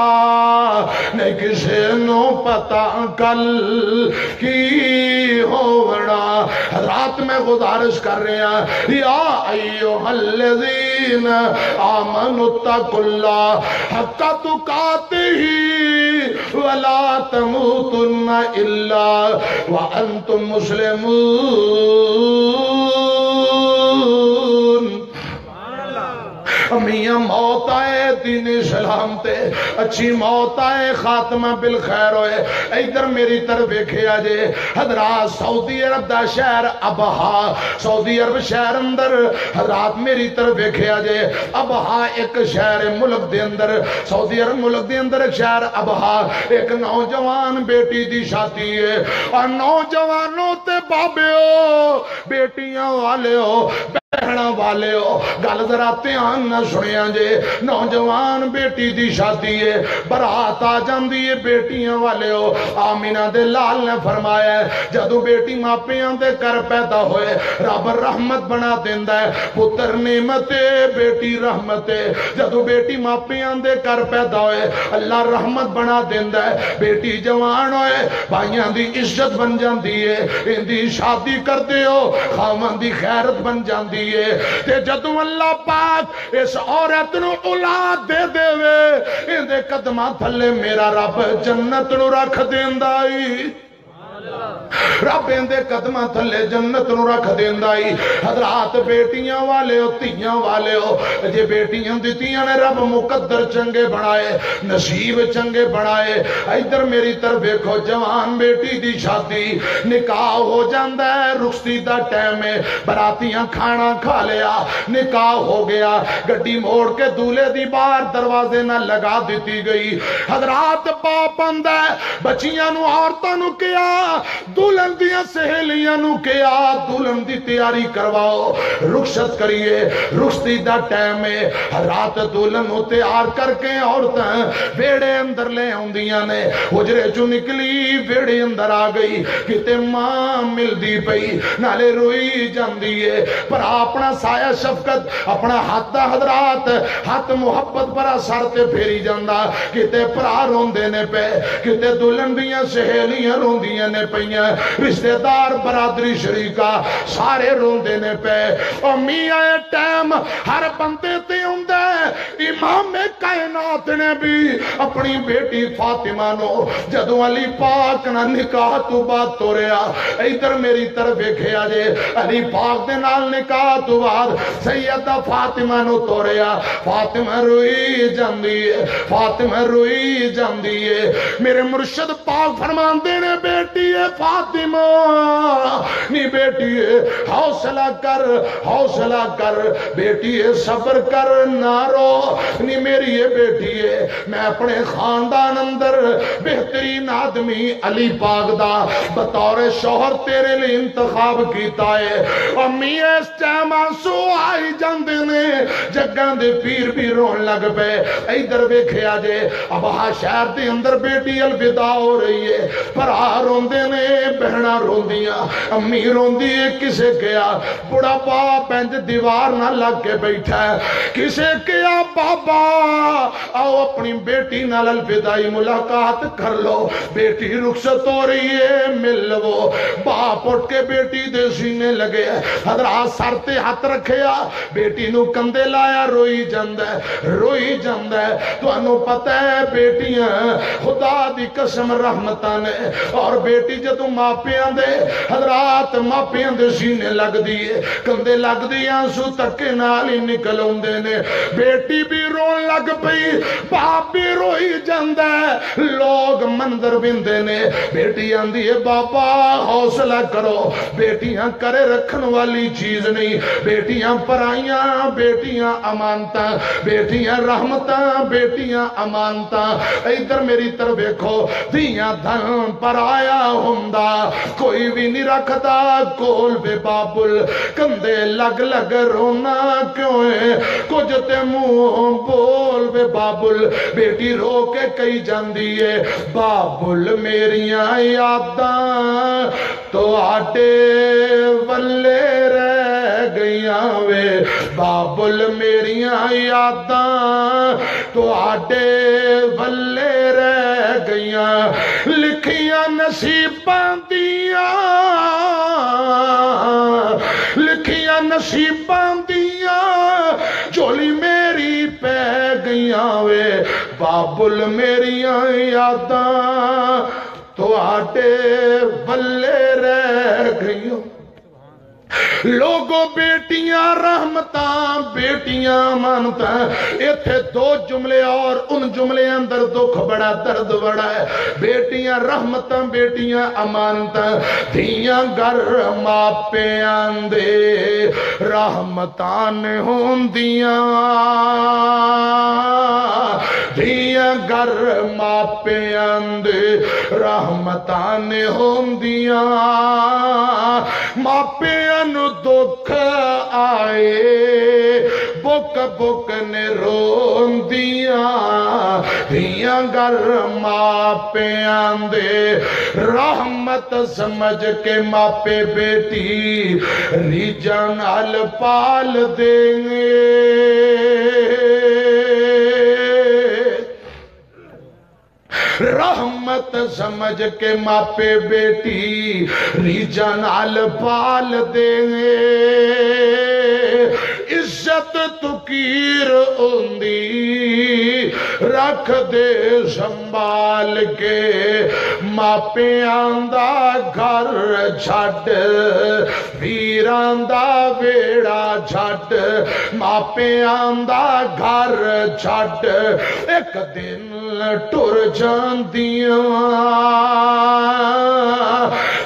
نہیں کسے نوں پتا کل کی ہونا۔ رات میں گزارش کر رہے ہیں، یا ایھا الذین آمنوا اتقوا اللہ حق تقاتہ ولا تموتن الا وانتم مسلمون۔ میاں، موت آئے دین اسلام تے، اچھی موت آئے، خاتمہ بالخیر ہوئے۔ ادھر میری طرف ویکھیا جے، حضرات، سعودی عرب دا شہر ابہا، سعودی عرب شہر اندر، حضرات، میری طرف ویکھیا جے، ابہا ایک شہر ہے ملک دے اندر، سعودی عرب ملک دے اندر ایک شہر ابہا، ایک نوجوان بیٹی دی شادی ہے۔ اور نوجوانوں تے بابیو، بیٹیاں والے ہو، بہناں والے ہو، گل ذرا دھیان نہ سنیا جے۔ نوجوان بیٹی دی شادی ہے، برات آ جاندی ہے، بیٹیاں والے ہو۔ آمینہ دے لال نے فرمایا ہے، جدوں بیٹی ماپیاں دے گھر پیدا ہوئے، رب رحمت بنا دیندا ہے۔ پتر نعمت ہے، بیٹی رحمت ہے۔ جدوں بیٹی ماپیاں دے گھر پیدا ہوئے، اللہ رحمت بنا دیندا ہے۔ بیٹی جوان ہوئے، بھائیاں دی عزت بن جاندی ہے، ایندی شادی کردے ہو، خاوند دی خیرت بن جاندی ہے۔ تے جدوں اللہ پاک اس عورت نوں اولاد دے دے وے، ایندے قدماں تھلے میرا رب جنت نوں رکھ دیندا ای۔ رب ایندے قدماں تھلے جنت نوں رکھ دیندا ای۔ حضرات، بیٹیاں والے ہو، دھیاں والے ہو، جے بیٹیاں دتیاں نے، رب مقدر چنگے بنائے، نصیب چنگے بنائے۔ ادھر میری طرف ویکھو، جوان بیٹی دی شادی، نکاح ہو جاندا ہے، رخصتی دا ٹائم ہے، براتیاں کھانا کھا لیا، نکاح ہو گیا، گڈی موڑ کے دولے دی باہر دروازے نال لگا دتی گئی۔ حضرات، باپ آندا ہے، بچیاں نوں، عورتاں نوں کہیا، دلہن دیاں سہیلیاں نوں کہیا، دلہن دی تیاری کرواؤ، رخصت کریے، رخصتی دا ٹائم ہے۔ رات دلہن نوں تیار کر کے عورتاں ویڑے اندر لے آندیاں نے۔ حجرے چوں نکلی، ویڑے اندر آ گئی، کتے ماں ملدی پئی، نالے روئی جاندی ہے۔ پر اپنا سایہ شفقت، اپنا ہاتھ دا، حضرات، ہاتھ محبت بھرا سر تے پھیری جاندا۔ کتے بھرا روندے نے پے، کتے دلہن دیاں سہیلیاں روندیاں نے پئیاں، رشتہ دار، برادری، شریکا، سارے روندے نے پے۔ او میاں، اے ٹائم ہر بندے تے ہوندا ہے۔ امام کائنات نے بھی اپنی بیٹی فاطمہ نو جدوں علی پاک نال نکاح تو بعد توریا، ادھر میری طرف ویکھیا جے، علی پاک دے نال نکاح تو بعد سیدہ فاطمہ نو توریا۔ فاطمہ روئی جاندی ہے، فاطمہ روئی جاندی ہے۔ میرے مرشد پاک فرماندے نے، بیٹی ہے فاطمہ، نی بیٹی ہے، حوصلہ کر، حوصلہ کر، بیٹی ہے، صبر کر، نہ رو، نی میری ہے بیٹی ہے۔ میں اپنے خاندان اندر بہترین آدمی علی پاک دا بطور شوہر تیرے لئی انتخاب کیتا ہے۔ امی، اس ٹائم آنسو آئی جاندے نے، جگاں دے پیر بھی رون لگ پے۔ ادھر ویکھیا جے، ابہا شہر دے اندر بیٹی الوداع ہو رہی ہے، بھرا روندے نے، بہناں روندیاں، امی روندی ہے، کسے کہیا بڑھاپا پنج دیوار نہ لگ کے بیٹھا ہے۔ کسے کہیا، بابا، آؤ اپنی بیٹی نال الوداعی ملاقات کر لو، بیٹی رخصت ہو رہی ہے، مل لو۔ باپ اٹھ کے بیٹی دے سینے لگے، حضرات سر تے ہاتھ رکھیا، بیٹی نو کندھے لایا، روئی جاندا ہے، روئی جاندا ہے۔ تانوں پتہ ہے بیٹیاں خدا دی قسم رحمتاں نے، اور بیٹی جدوں ماپیاں دے، حضرات ماپیاں دے سینے لگدی ہے، کندھے لگدی ہے، آنسو تکے نال ہی نکل آوندے نے۔ بیٹی بھی رون لگ پئی، باپ بھی روئی جاندا ہے۔ لوگ منظر ویندے نے۔ بیٹی آندی ہے، "بابا، حوصلہ کرو، بیٹیاں کرے رکھن والی چیز نہیں، بیٹیاں پرائیاں، بیٹیاں امانتاں، بیٹیاں رحمتاں، بیٹیاں امانتاں۔" ادھر میری طرف ویکھو، دھیاں دھن پرایا ہوندا، کوئی بھی نہیں رکھدا کول وے بابل، کندھے لگ لگ رونا کیوں ہے؟ کچھ تے منہ بول وے بابل۔ بیٹی رو کے کہی جاندی ہے، بابل میریاں یاداں تہاڈے ولے رہ گئیاں وے، بابل میریاں یاداں تہاڈے ولے رہ گئیاں، لکھیاں نصیباں دیاں، لکھیاں نصیباں دیاں، جھولی میری پہ گئیاں وے، بابل میریاں یاداں تہاڈے ولے رہ گئیاں۔ لوگو، بیٹیاں رحمتاں، بیٹیاں امانتاں۔ ایتھے دو جملے اور ان جملے اندر دکھ بڑا، درد بڑا ہے۔ بیٹیاں رحمتاں، بیٹیاں امانتاں۔ دھیاں گھر ماپیاں دے رحمتاں نے ہوندیاں، دھیاں گھر ماپیاں دے رحمتاں نے ہوندیاں۔ ماپیاں نوں دکھ آئے، بک بک نے روندیاں۔ دھیاں گھر ماپیاں دے رحمت سمجھ کے ماپے بیٹی ریجاں نال پال دیں۔ رحمت سمجھ کے ماپے بیٹی ریجاں نال پال دے۔ عزت تکیر ہوندی رکھ دے سنبھال کے، ماپیاں دا گھر چھڈ، ویراں دا ویڑا چھڈ، ماپیاں دا گھر چھڈ، ایک دن ٹر جاندیاں۔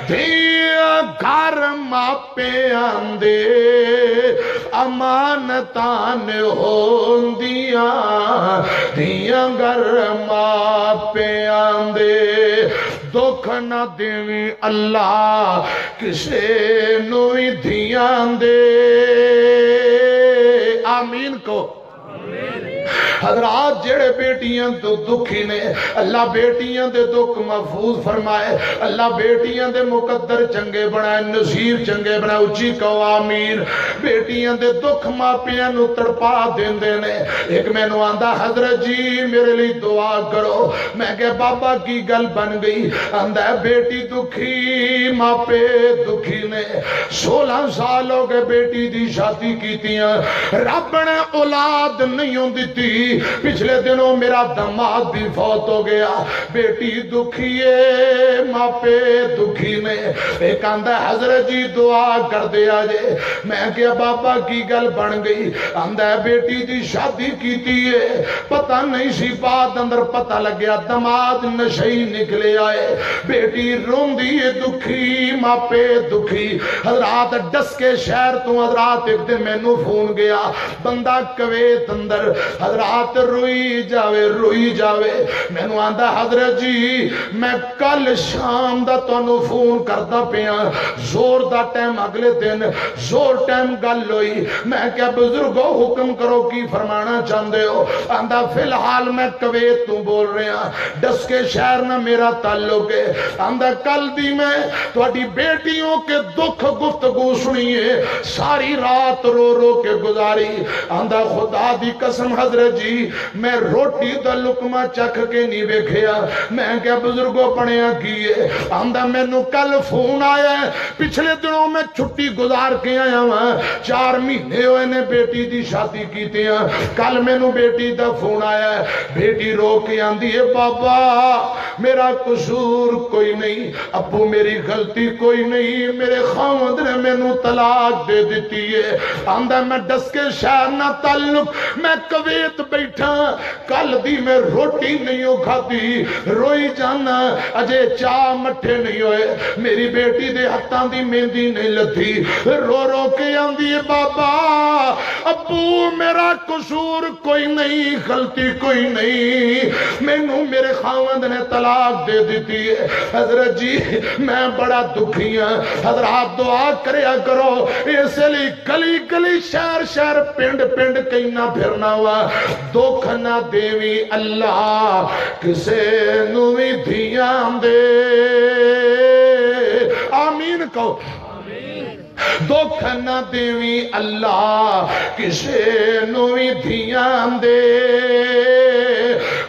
دھیاں گھر ماپیاں دے امانتاں ہوندیاں، دھیاں گھر ماپیاں دے۔ دکھ نہ دیویں اللہ کسے نوں وی دھیاں دے۔ آمین کو۔ حضرات، جڑے بیٹیاں تو دکھی نے، اللہ بیٹیاں دے دکھ محفوظ فرمائے، اللہ بیٹیاں دے مقدر چنگے بنائے، نصیب چنگے بنائے۔ اچھی کہو آمین۔ بیٹیاں دے دکھ ماپیاں نوں تڑپا دیندے نے۔ ایک مینوں آندا، "حضرت جی، میرے لئی دعا کرو۔" میں کہیا، "بابا، کی گل بن گئی؟" آندا ہے، "بیٹی دکھی، ماپے دکھی نے۔" سولہ سال ہو گئے بیٹی دی شادی کیتیاں، رب نے اولاد نہیں ہوں دتی۔ پچھلے دنوں میرا دماد بھی فوت ہو گیا۔ بیٹی دکھی ہے، ماپے دکھی نے۔ ایک آندا ہے، "حضرت جی، دعا کر دے آ جے۔" میں کہیا، "بابا، کی گل بن گئی؟" آندا ہے، "بیٹی دی شادی کیتی ہے، پتہ نہیں سی، بعد اندر پتہ لگیا دماد نشئی نکلے آئے۔" بیٹی روندی ہے، دکھی، ماپے دکھی۔ حضرات، ڈسکے شہر تو حضرات ایک دن مینوں فون گیا، بندہ کویت اندر، حضرات، روئی جاوے، روئی جاوے۔ مینوں آندا، "حضرت جی، میں کل شام دا تانوں فون کردا پیاں۔" زور دا ٹائم، اگلے دن زور ٹائم گل ہوئی۔ میں کہیا، "بزرگو، حکم کرو، کی فرمانا چاہندے ہو؟" آندا، "فی الحال میں کویت تو بول رہا، ڈسکے شہر نہ میرا تعلق ہے۔" آندا، "کل دی میں تہاڈی بیٹیوں کے دکھ گفتگو سنی ہے، ساری رات رو رو کے گزاری۔" آندا، "خدا دی قسم حضرت جی، میں روٹی دا لقمہ چکھ کے نہیں ویکھیا۔ میں کہیا، "بزرگو، بنیا کی ہے؟" آندا، "مینوں کل فون آیا ہے، پچھلے دنوں میں چھٹی گزار کے آیا ہاں، چار مہینے ہوئے نے بیٹی دی شادی کیتے ہاں، کل مینوں بیٹی دا فون آیا ہے۔" بیٹی رو کے آندی ہے، "بابا، میرا قصور کوئی نہیں، ابو، میری غلطی کوئی نہیں، میرے خاوند نے مینوں طلاق دے دتی ہے۔" آندا، "میں ڈس کے شہر نہ تعلق، میں کویت بیٹھا، کل دی میں روٹی نہیں ہو کھادی، روئی جانا، اجے چاہ مٹھے نہیں ہوئے، میری بیٹی دے ہتھاں دی مہندی نہیں لتھی۔" رو رو کے آندی ہے، "بابا، ابو، میرا قصور کوئی نہیں، غلطی کوئی نہیں، مینوں میرے خاوند نے طلاق دے دتی ہے۔" حضرت جی، میں بڑا دکھی ہاں۔ حضرات، دعا کریا کرو، اس لیے گلی گلی، شہر شہر، پنڈ پنڈ کہیں نہ پھرنا وا۔ دکھ نہ دیوی اللہ کسے نو وی دھیاں دے۔ آمین کہو۔ دکھ نہ دیوی اللہ کسے نو وی دھیاں دے۔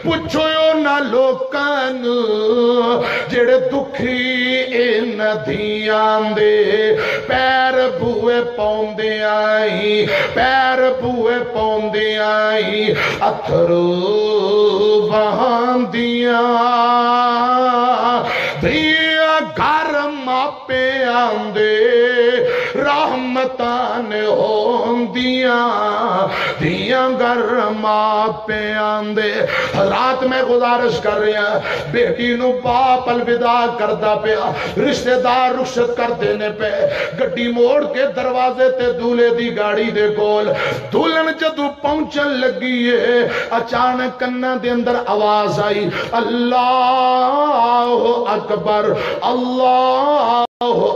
پچھو نہ لوکاں نو جڑے دکھی ان دھیاں دے۔ پیر بوئے پوندے آئی، پیر بوئے پوندے آئی، اتھرو بہاندیاں۔ دھیاں گھر ماپیاں دے رحمتاں نے ہوندیاں، دھیاں گھر ماپیاں دے۔ حضرات، میں گزارش کر رہا، بیٹی نو باپ الوداع کردا پیا، رشتہ دار رخصت کر دینے پے، گڈی موڑ کے دروازے تے دولے دی گاڑی دے کول دلہن جدوں پہنچن لگی ہے، اچانک کناں دے اندر آواز آئی، "اللہ اکبر، اللہ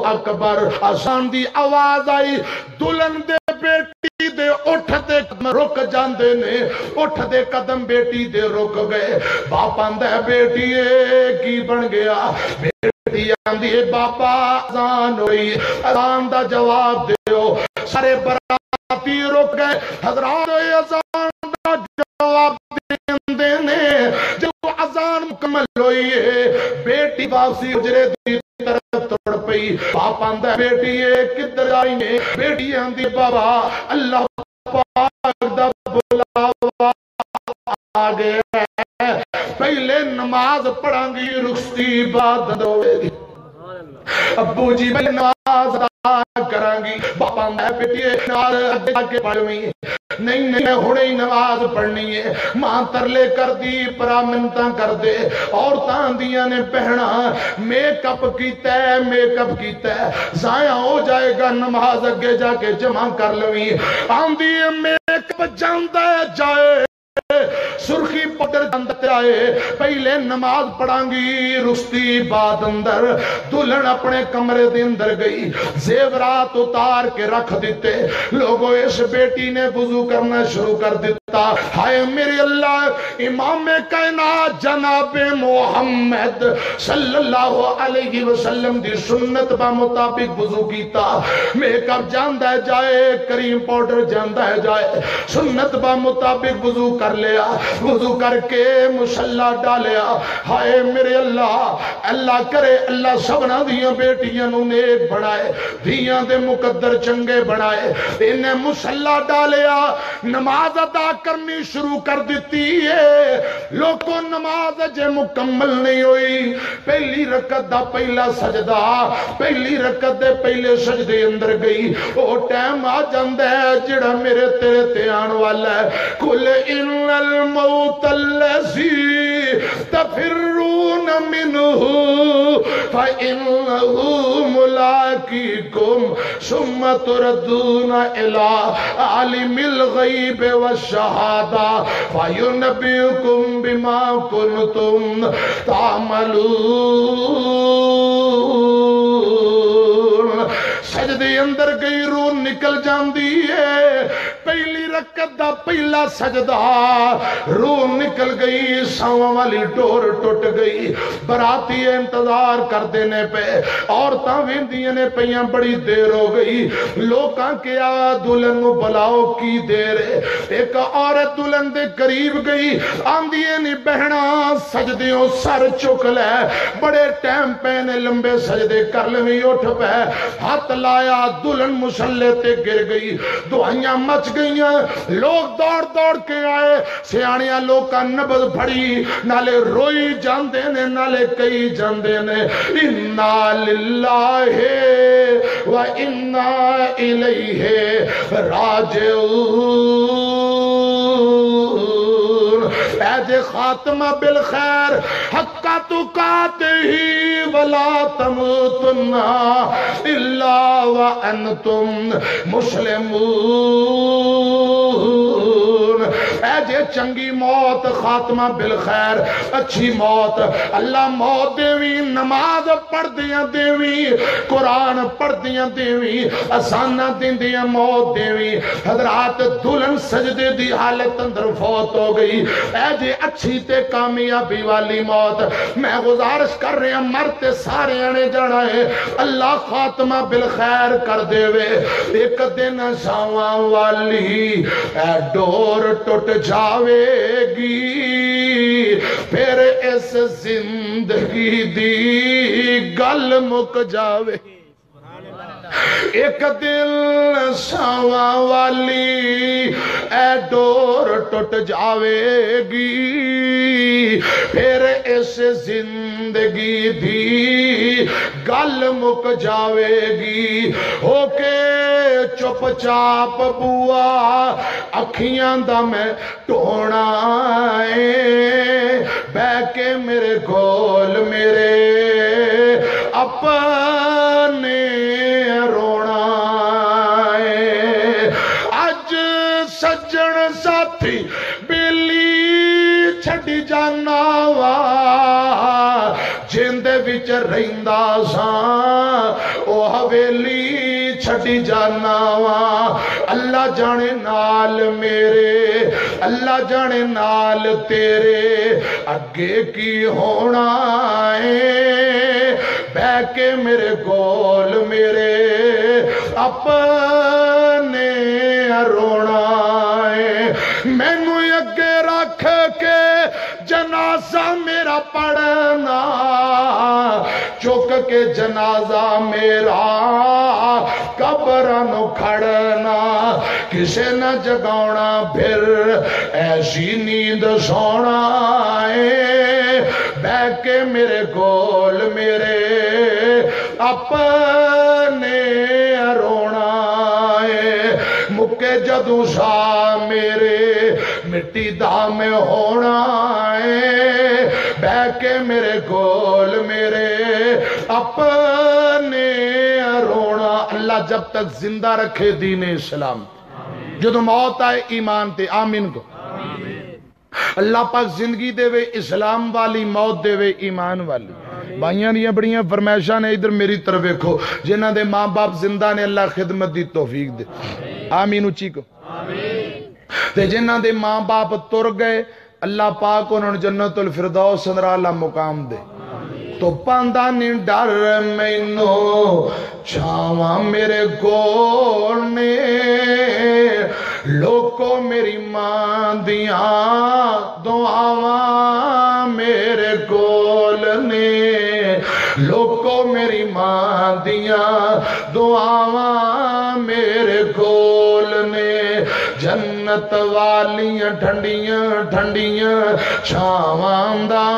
اکبر۔" اذان دی آواز آئی، دلہن دے بیٹی دے اٹھ دے قدم رک جاندے نے، اٹھ دے قدم بیٹی دے رک گئے۔ باپ آندا ہے، "بیٹی، اے کی بن گیا؟" بیٹی آندی ہے، "بابا، اذان ہوئی، اذان دا جواب دیو۔" سارے براتی رک گئے، حضرات، اے اذان دا جواب دیندے نے۔ جب اذان مکمل ہوئی ہے، بیٹی واپسی حجرے دی طرف تر پئی۔ باپ آندا ہے، "بیٹی، اے کدھر آئی ہے؟" بیٹی آندی، "بابا، اللہ پاک دا بلاوا آ گیا ہے، پہلے نماز پڑھاں گی، رخصتی بعد ہوے گی۔" ابو جی، میں نماز ادا کراں گی۔ باپ آندا ہے، "بیٹی، اے نماز اگے جا کے پڑھویں۔" "نہیں، نہیں، میں ہنے ہی نماز پڑھنی ہے۔" ماں ترلے کر دی، پرا منتاں کر دے۔ عورتاں آندیاں نے، "بہنا، میک اپ کیتا ہے، میک اپ کیتا ہے، ضائع ہو جائے گا، نماز اگے جا کے جمع کر لویں۔" آندی ہے، میک اپ جاندا ہے جائے، سرخی پاؤڈر جاندا تے آئے، پہلے نماز پڑھاں گی، رخصتی بعد اندر۔ دلہن اپنے کمرے دے اندر گئی، زیورات اتار کے رکھ دتے۔ لوگو، اس بیٹی نے وضو کرنا شروع کر دتا۔ ہائے میرے اللہ، امام کائنات جناب محمد صلی اللہ علیہ وسلم دی سنت با مطابق وضو کیتا۔ میک اپ جاندا ہے جائے، کریم پاؤڈر جاندا ہے جائے، سنت با مطابق وضو کر لیا، وضو کر کے مصلا ڈالیا۔ ہائے میرے اللہ، اللہ کرے اللہ سبنا دیاں بیٹیاں نو نیک بنائے، دیاں دے مقدر چنگے بنائے۔ انہیں مصلا ڈالیا، نماز ادا کرنی شروع کر دتی ہے۔ لوکو، نماز اجے مکمل نہیں ہوئی، پہلی رکعت دا پہلا سجدہ، پہلی رکعت دے پہلے سجدے اندر گئی۔ او ٹائم آ جاندا ہے جڑا میرے تیرے تے آن والا ہے۔ قل ان الموت الذی تفرون منه فإنه ملاقيكم ثم تردون إلى عالم الغيب والشهادة فينبئكم بما كنتم تعملون۔ سجدے اندر گئی، روح نکل جاندی ہے۔ پہلی رکعت دا پہلا سجدہ، روح نکل گئی، ساواں والی ڈور ٹوٹ گئی۔ براتی انتظار کردے نے پے، عورتاں ویندیاں نے پیاں، بڑی دیر ہو گئی۔ لوکاں کیا، دلہن نو بلاؤ، کی دیر ہے؟ ایک عورت دلہن دے قریب گئی، آندی ہے نی، بہنا، سجدیوں سر چک لے، بڑے ٹائم پے نے، لمبے سجدے کر لویں، اٹھ پے۔ ہاتھ لایا، دلہن مصلے تے گر گئی، دعائیاں مچ گئیاں، لوگ دوڑ دوڑ کے آئے، سیاݨیاں لوکاں نبض پھڑی، نالے روئی جاندے نے، نالے کہی جاندے نے، "انا للہ و انا الیہ راجعون۔" اے جے خاتمہ بالخیر، حق تقاتہ ولا تموتن الا وانتم مسلمون۔ اے جے چنگی موت، خاتمہ بالخیر، اچھی موت، اللہ موت دیویں، نماز پڑھدیاں دیویں، قرآن پڑھدیاں دیویں، اذاناں دیندیاں موت دیویں۔ حضرات، دلہن سجدے دی حالت اندر فوت ہو گئی۔ اے جے اچھی تے کامیابی والی موت۔ میں گزارش کر رہا، مر تے سارے آنے جانا ہے۔ اللہ خاتمہ بالخیر کر دے وے۔ ایک دن ساواں والی اے ڈور ٹوٹ جاوے گی، پھر اس زندگی دی گل مک جاوے۔ ایک دن ساواں والی اے ڈور ٹوٹ جاوے گی، پھر اس زندگی دی گل مک جاوے گی۔ ہو کے چپ چاپ بوا اکھیاں دا میں ٹونا اے، بہ کے میرے کول میرے اپنے رونا اے۔ اج سجن ساتھی بیلی چھڈی جانا وا، جیندے وچ رہندا ساں، او حویلی چھڈی جانا وا۔ اللہ جانے نال میرے، اللہ جانے نال تیرے، اگے کی ہونا اے؟ بہ کے میرے کول میرے اپنے رونا اے۔ مینوں اگے رکھ کے جنازہ میرا پڑھنا، چک کے جنازہ میرا قبراں نو کھڑنا، کسے نہ جگاونا پھر ایسی نیند سونا اے۔ بہ کے میرے کول میرے اپنے رونا اے۔ مکے جدوں سا میرے مٹی دا میں ہونا اے، بہ کے میرے کول میرے اپنے رونا۔ اللہ جب تک زندہ رکھے دین اسلام، جدوں موت آئے ایمان تے، آمین کو۔ اللہ پاک زندگی دے وے، اسلام والی موت دے وے، ایمان والی۔ بھائیاں دیاں بڑیاں فرمائشاں نے، ادھر میری طرف ویکھو، جنہاں دے ماں باپ زندہ نے، اللہ خدمت دی توفیق دے، آمین اچی کو۔ تے جنہاں دے ماں باپ تر گئے، اللہ پاک انہاں نوں جنت الفردوس اندر اعلیٰ مقام دے۔ تو پاندا نہیں ڈر مینوں، چھاواں میرے کول نے، لوکو میری ماں دیاں دعاواں میرے کول نے، لوکو میری ماں دیاں دعاواں میرے کول نے۔ جنت والیاں ٹھنڈیاں ٹھنڈیاں چھاواں دا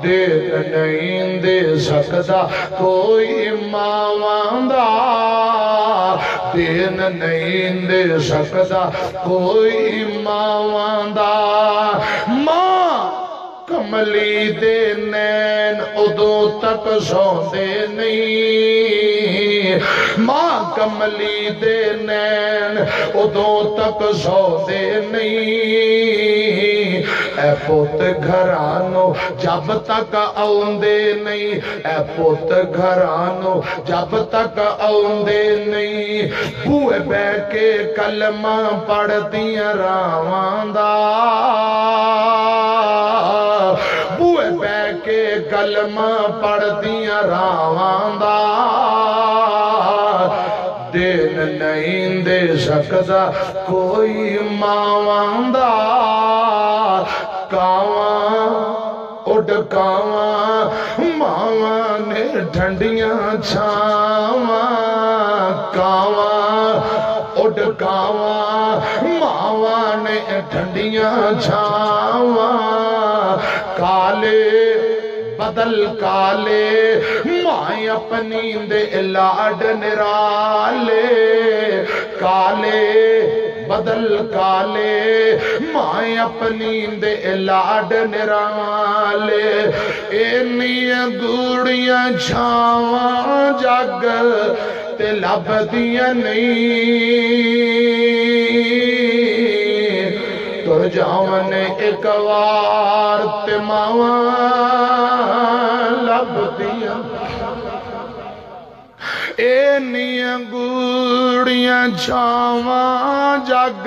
دین نہیں دے سکدا کوئی ماواں دا، دین نہیں دے سکدا کوئی ماواں دا۔ ماں کملی دے نین ادوں تک سوندے نہیں، ماں کملی دے نین ادوں تک سوندے نہیں۔ اے پوت گھراں نوں جب تک آوندے نہیں، اے پوت گھراں نوں جب تک آوندے نہیں، بوئے بہ کے کلمہ پڑھدیاں راواں دا، بوئے بہ کے کلمہ پڑھدیاں راواں دا، دین نہیں دے سکدا کوئی ماواں دا۔ کاواں اڈ کاواں، ماواں نے ٹھنڈیاں چھاواں۔ کاواں اڈ کاواں، ماواں نے ٹھنڈیاں چھاواں۔ کالے بدل کالے، ماں اپنی دے لاڈ نرالے۔ کالے بدل کالے، ماں اپنی دے لاڈ نرالے۔ اینیاں گوڑیاں چھاواں جگ تے لبدیاں نہیں۔ تر جاون اک وار تے ماواں لبدیاں۔ اینیاں گوڑیاں چھاواں جگ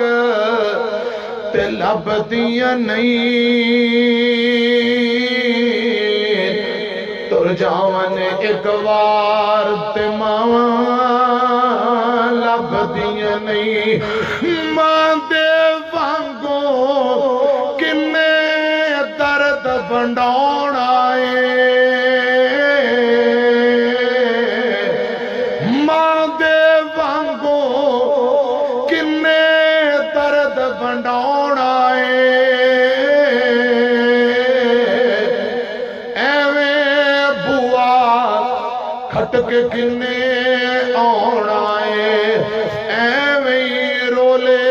تے لبدیاں نہیں۔ تر جاون اک وار تے ماواں لبدیاں نہیں۔ ماں دے وانگوں کنے درد ونڈاونا اے۔ ماں دے وانگوں کنے درد ونڈاونا اے۔ ایویں بوا کھٹک کنے آونا اے۔ ایویں رولے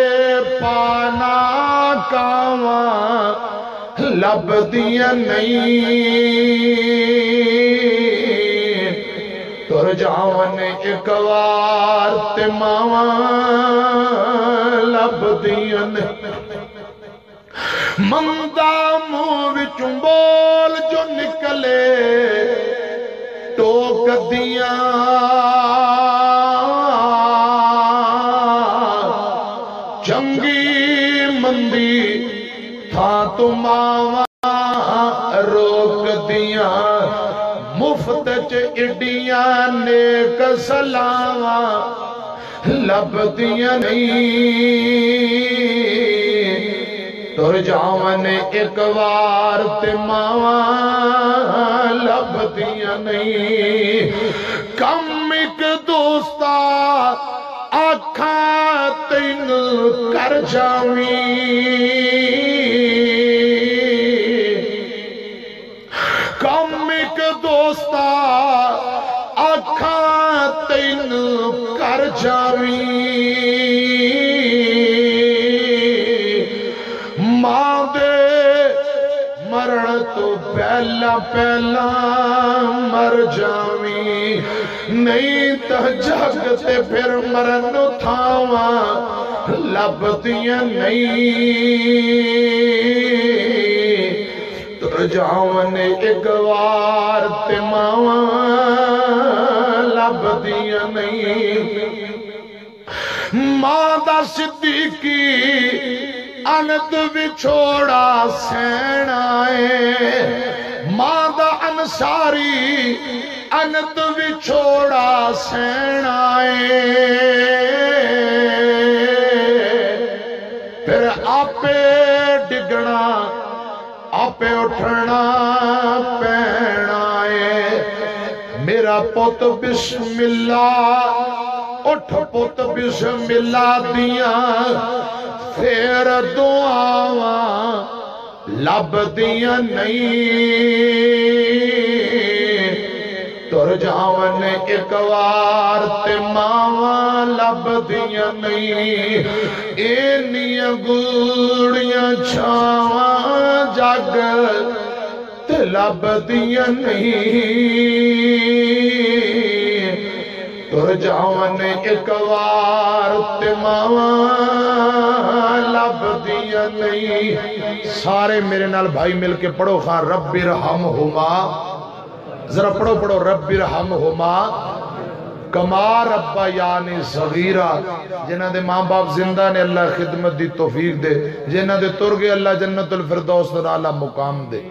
پانا کاواں لبدیاں نہیں۔ تر جاون اک وار تے ماواں لبدیاں نہیں۔ مندا منہ وچوں بول جو نکلے، ٹوک دیاں چنگی مندی تھاں تو ماواں روک دیاں۔ مفت چ اڈیاں نیک سلاواں لبدیاں نہیں۔ تر جاون اک وار تے ماواں لبدیاں نہیں۔ کم اک دوستا آکھاں تینوں کر جاویں۔ کم اک دوستا آکھاں تینوں کر جاویں۔ ماں دے مرن تو پہلا پہلا مر جاویں۔ نہیں تاں جگ تے پھر مرن نوں تھاواں لبدیاں نہیں۔ تر جاون اک وار تے ماواں لبدیاں نہیں۔ ماں دا صدیقی انت وچھوڑا سہنا اے، ماں دا انصاری انت وچھوڑا سہنا اے۔ پھر آپے ڈگنا، آپے اٹھنا پینا اے۔ میرا پت بسم اللہ، اٹھ پت بسم اللہ دیاں پھر دعاواں لبدیاں نہیں۔ تر جاون اک وار تے ماواں لبدیاں نہیں۔ اینیاں گوڑیاں چھاواں جگ لبدیاں نہیں، ٹر جاون اک وار تے ماواں لبدیاں نہیں۔ سارے میرے نال بھائی مل کے پڑھو خاں، رب ارحمہما۔ ذرا پڑھو، پڑھو، رب ارحمہما کما ربیانی صغیرا۔ جنہاں دے ماں باپ زندہ نے، اللہ خدمت دی توفیق دے۔ جنہاں دے تر گئے، اللہ جنت الفردوس دا اعلیٰ مقام دے۔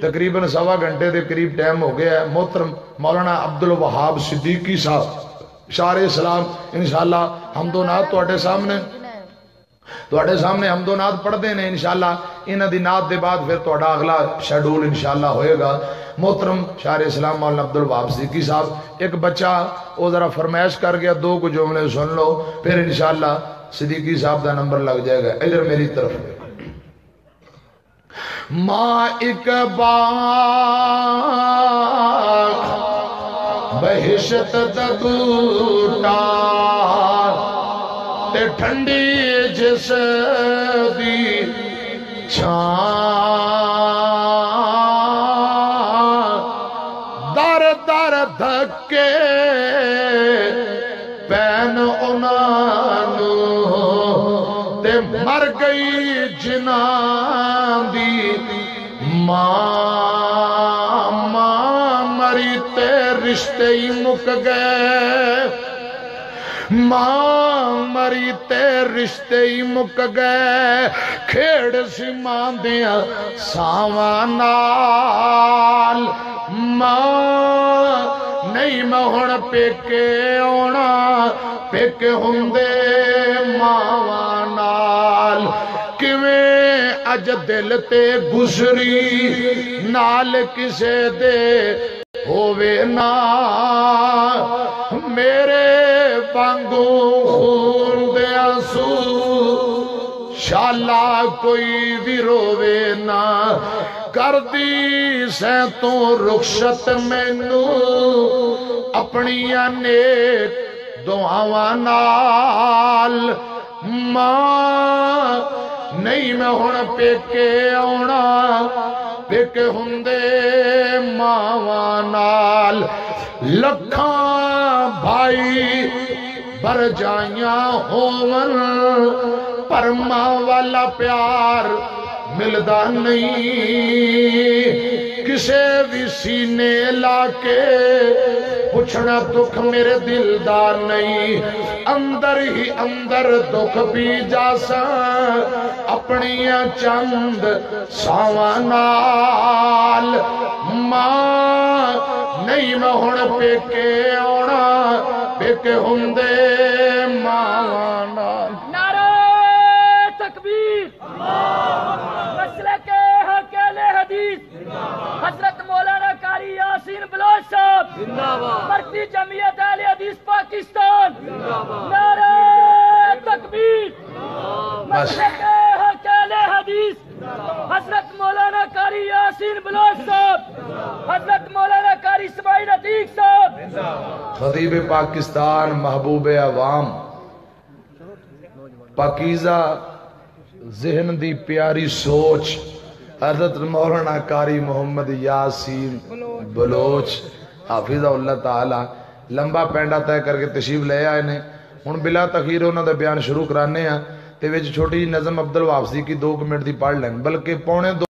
تقریباً سوا گھنٹے دے قریب ٹائم ہو گیا ہے۔ محترم مولانا عبد الوہاب صدیقی صاحب، شار اسلام، انشاءاللہ حمد و نعت تواڈے سامنے، تواڈے سامنے حمد و نعت پڑھدے نے۔ انشاءاللہ انہاں دی نعت دے بعد پھر تواڈا اگلا شیڈول انشاءاللہ ہوئے گا۔ محترم شار اسلام مولانا عبد الوہاب صدیقی صاحب، ایک بچہ، او ذرا فرمائش کر گیا، دو کو جملے سن لو، پھر انشاءاللہ صدیقی صاحب دا نمبر لگ جائے گا۔ ادھر میری طرف۔ ماں اک باغ بہشت دا بوٹا، تے ٹھنڈی جس دی چھاں، در در دھکے پین انہاں نوں، تے مر گئی جنہاں دی ماں۔ ماں مری تے رشتے ہی مک گئے، ماں مری تے رشتے ہی مک گئے، کھیڑ سی ماں دیاں ساواں نال۔ ماں نہیں میں ہن پیکے آونا، پیکے ہوندے ماواں نال۔ کیویں اج دل تے گزری نال کسے دے ہووے نا، میرے وانگوں خون دے آنسو شالا کوئی وی رووے نا۔ کردی سیں توں رخصت مینوں اپنیاں نیک دعاواں نال۔ ماں نہیں میں ہن پیکے آونا، پیکے ہوندے ماواں نال۔ لکھاں بھائی بھرجائیاں ہون، پر ماں والا پیار ملدا نہیں۔ کسے وی سینے لا کے پچھنا دکھ میرے دل دا نہیں۔ اندر ہی اندر دکھ پی جاساں اپنیاں چند ساواں نال۔ ماں نہیں میں ہن پیکے آونا، پیکے ہوندے ماواں نال۔ نعرہ تکبیر۔ مسلک حق اہل حدیث حضرت مولانا قاری یاسین بلوچ صاحب، زندہ باد۔ مرکزی جمعیت اہل حدیث پاکستان، زندہ باد۔ نعرہ تکبیر۔ بس۔ مسلک حق اہل حدیث حضرت مولانا قاری یاسین بلوچ صاحب، حضرت مولانا قاری اسماعیل عتیق صاحب۔ خطیب پاکستان، محبوب عوام، پاکیزہ ذہن دی پیاری سوچ، حضرت مولانا قاری محمد یاسین بلوچ، حافظہ اللہ تعالی، لمبا پینڈا طے کر کے تشریف لے آئے نے۔ ہن بلا تاخیر انہاں دا بیان شروع کرانے ہاں، تے وچ چھوٹی جی نظم عبد الوہاب صدیقی دو کمنٹ دی پڑھ لین، بلکہ پونے دو۔